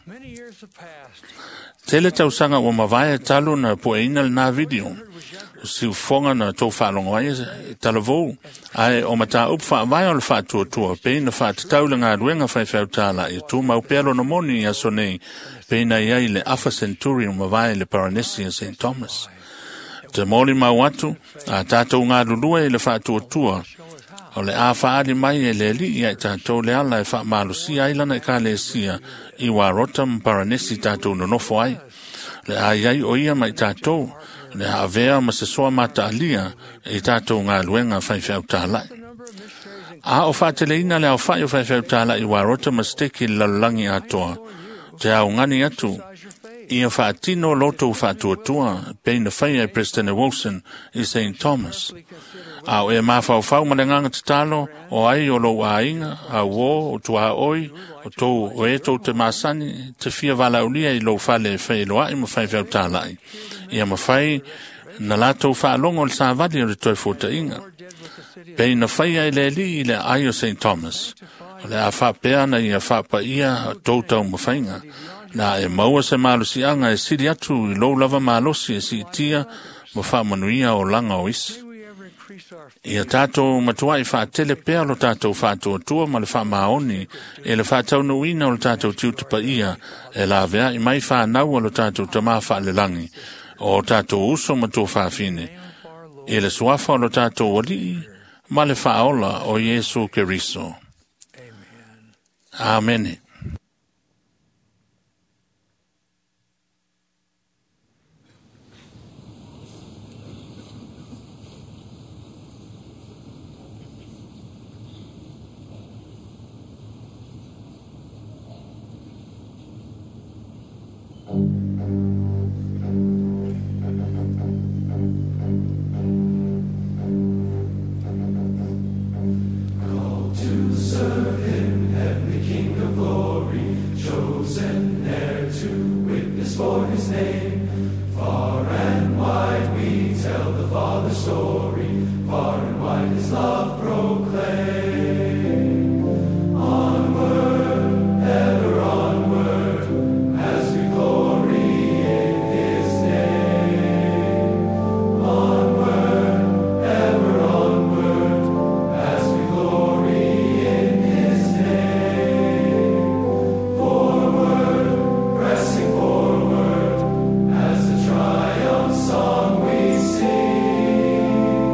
Tele tausaga ua mavae talu na pueina lenā video o siufoga na tou faalogo ai e talavou, ae o mataupu faavae o le faatuatua pei na faatatau i le galuega faifeau tālaʻi e tumau pea lona moni i aso nei, pei na iai le afa senturi o mavae i le paranesi a St Thomas. Te molimau atu a tatou galulue i le faatuatua, o le a faaali mai e le alii ia i tatou le ala e faamalosia ai lana ekalesia i uarota ma paranesi tatou nonofo ai. Le a iai o ia ma i tatou, le a avea ma se soa mataalia i tatou galuega faifeau tālaʻi. A o faateleina le aofaʻi o faifeau tālaʻi uarota ma seteki i le lalolagi atoa, te augani atu ia faatino lotou faatuatua pei na faia e President Wilson i St Thomas. A o e mafaufau ma le agaga tatalo o ai o lou aiga, auō, o tuaoi, o tou o e tou te masani, te fia valaulia i lou fale e feeloaʻi ma faifeau tālaʻi. Ia mafai na latou faalogo le savali o le toefuataiga. Pei na faia e le alii i le aai o St Thomas, o le a faapea na ia faapaia tou taumafaiga. Na e maua se malosiaga e sili atu i lou lava malosi e siitia ma faamanuia olaga o isi. Ia tatou matuaʻi faatele pea lo tatou faatuatua ma le faamaoni e le faataunuuina o le tatou tiute paia e laveaʻi mai fanau a lo tatou tamā faalelagi o tatou uso ma tuafafine i le suafa o lo tatou alii ma le faaola o Iesu Keriso. Amene. Called to serve him, heavenly King of glory, chosen ne'er to witness for his name. Far and wide we tell the Father's story, far and wide his love proclaim. Onward, ever onward, as we glory in his name. Onward, ever onward, as we glory in his name. Forward, pressing forward, as the triumph song we sing.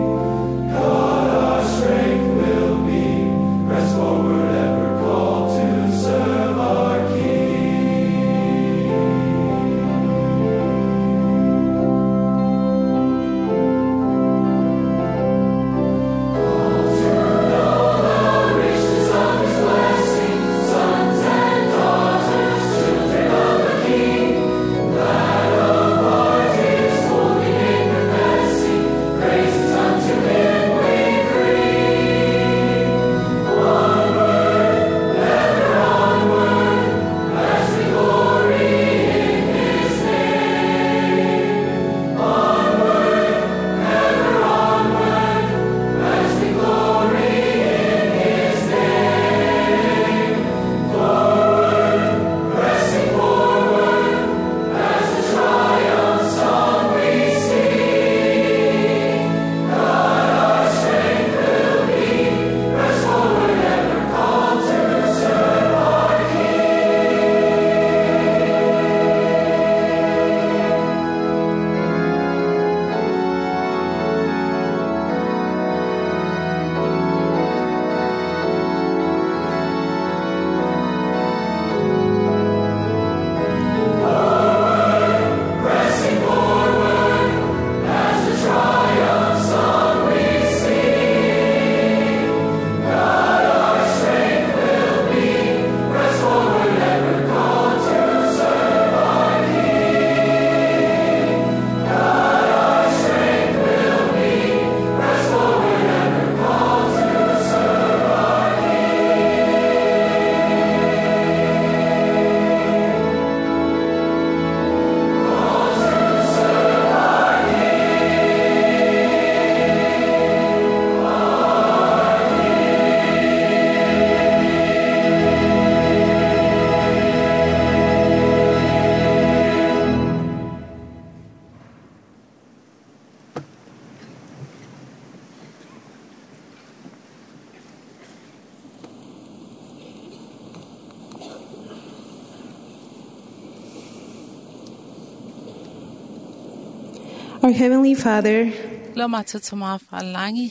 Our Heavenly Father, Lo mātou te mawhalangi.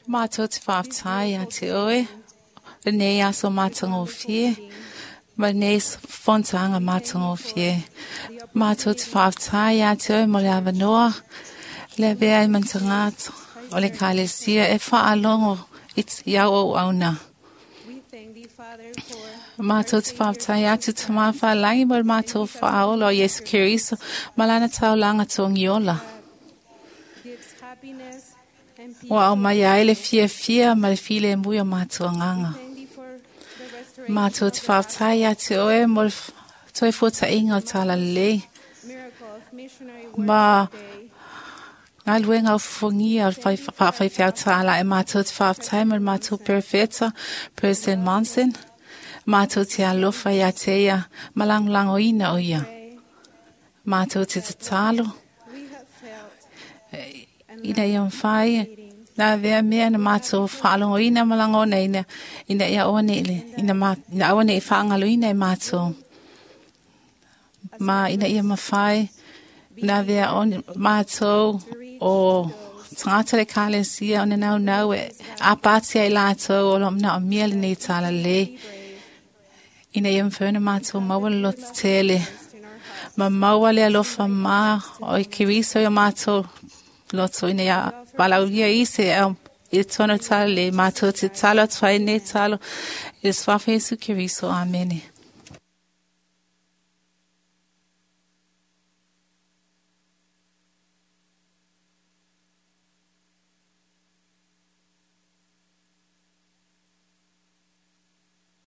Mātou te whaftai a te oe. Le nei aso mātangofie. Ma nei fontanga mātangofie. Mātou te whaftai a te oe mo le avanoa. Le vea i mantangata. O le kalesia e whaalongo i iau o auna. Mātou te whaftai atu te mawhalangi mo le mātou whaolo o Yesu Keriso. Malana taulanga tōngiola. Ua au mai ai le fia fia ma le file e mui o mātou nganga. Mātou te whaftai a te oe mo le toi fōta inga o tala lei. Ma ngā luenga o fufungia o le whawhaiwhau tāla e mātou te whaftai ma le mātou perfeta, President Monson. Mātou te alofa ia te ia, malangolango ina o ia. Mātou te tatalo. Ina ia mwhai, nā vea mea na mātou whaalongo ina malangona ina, ina ia oane ile, ina, ma, ina awane i whaangalo ina e mātou. Ma ina ia mawhai, nā vea one, mātou o tangata le kalesia o nau nau e apatia i lātou o lo mna o mia le nei tala le. Ina ia mwhaina mātou maua le loto tele. Ma maua le alofa mā o i kiriso i o mātou loto ina ia walaulia ise au i tono tala le mātou te talo atu ai nei talo i le swafa Yesu Keriso. Amene.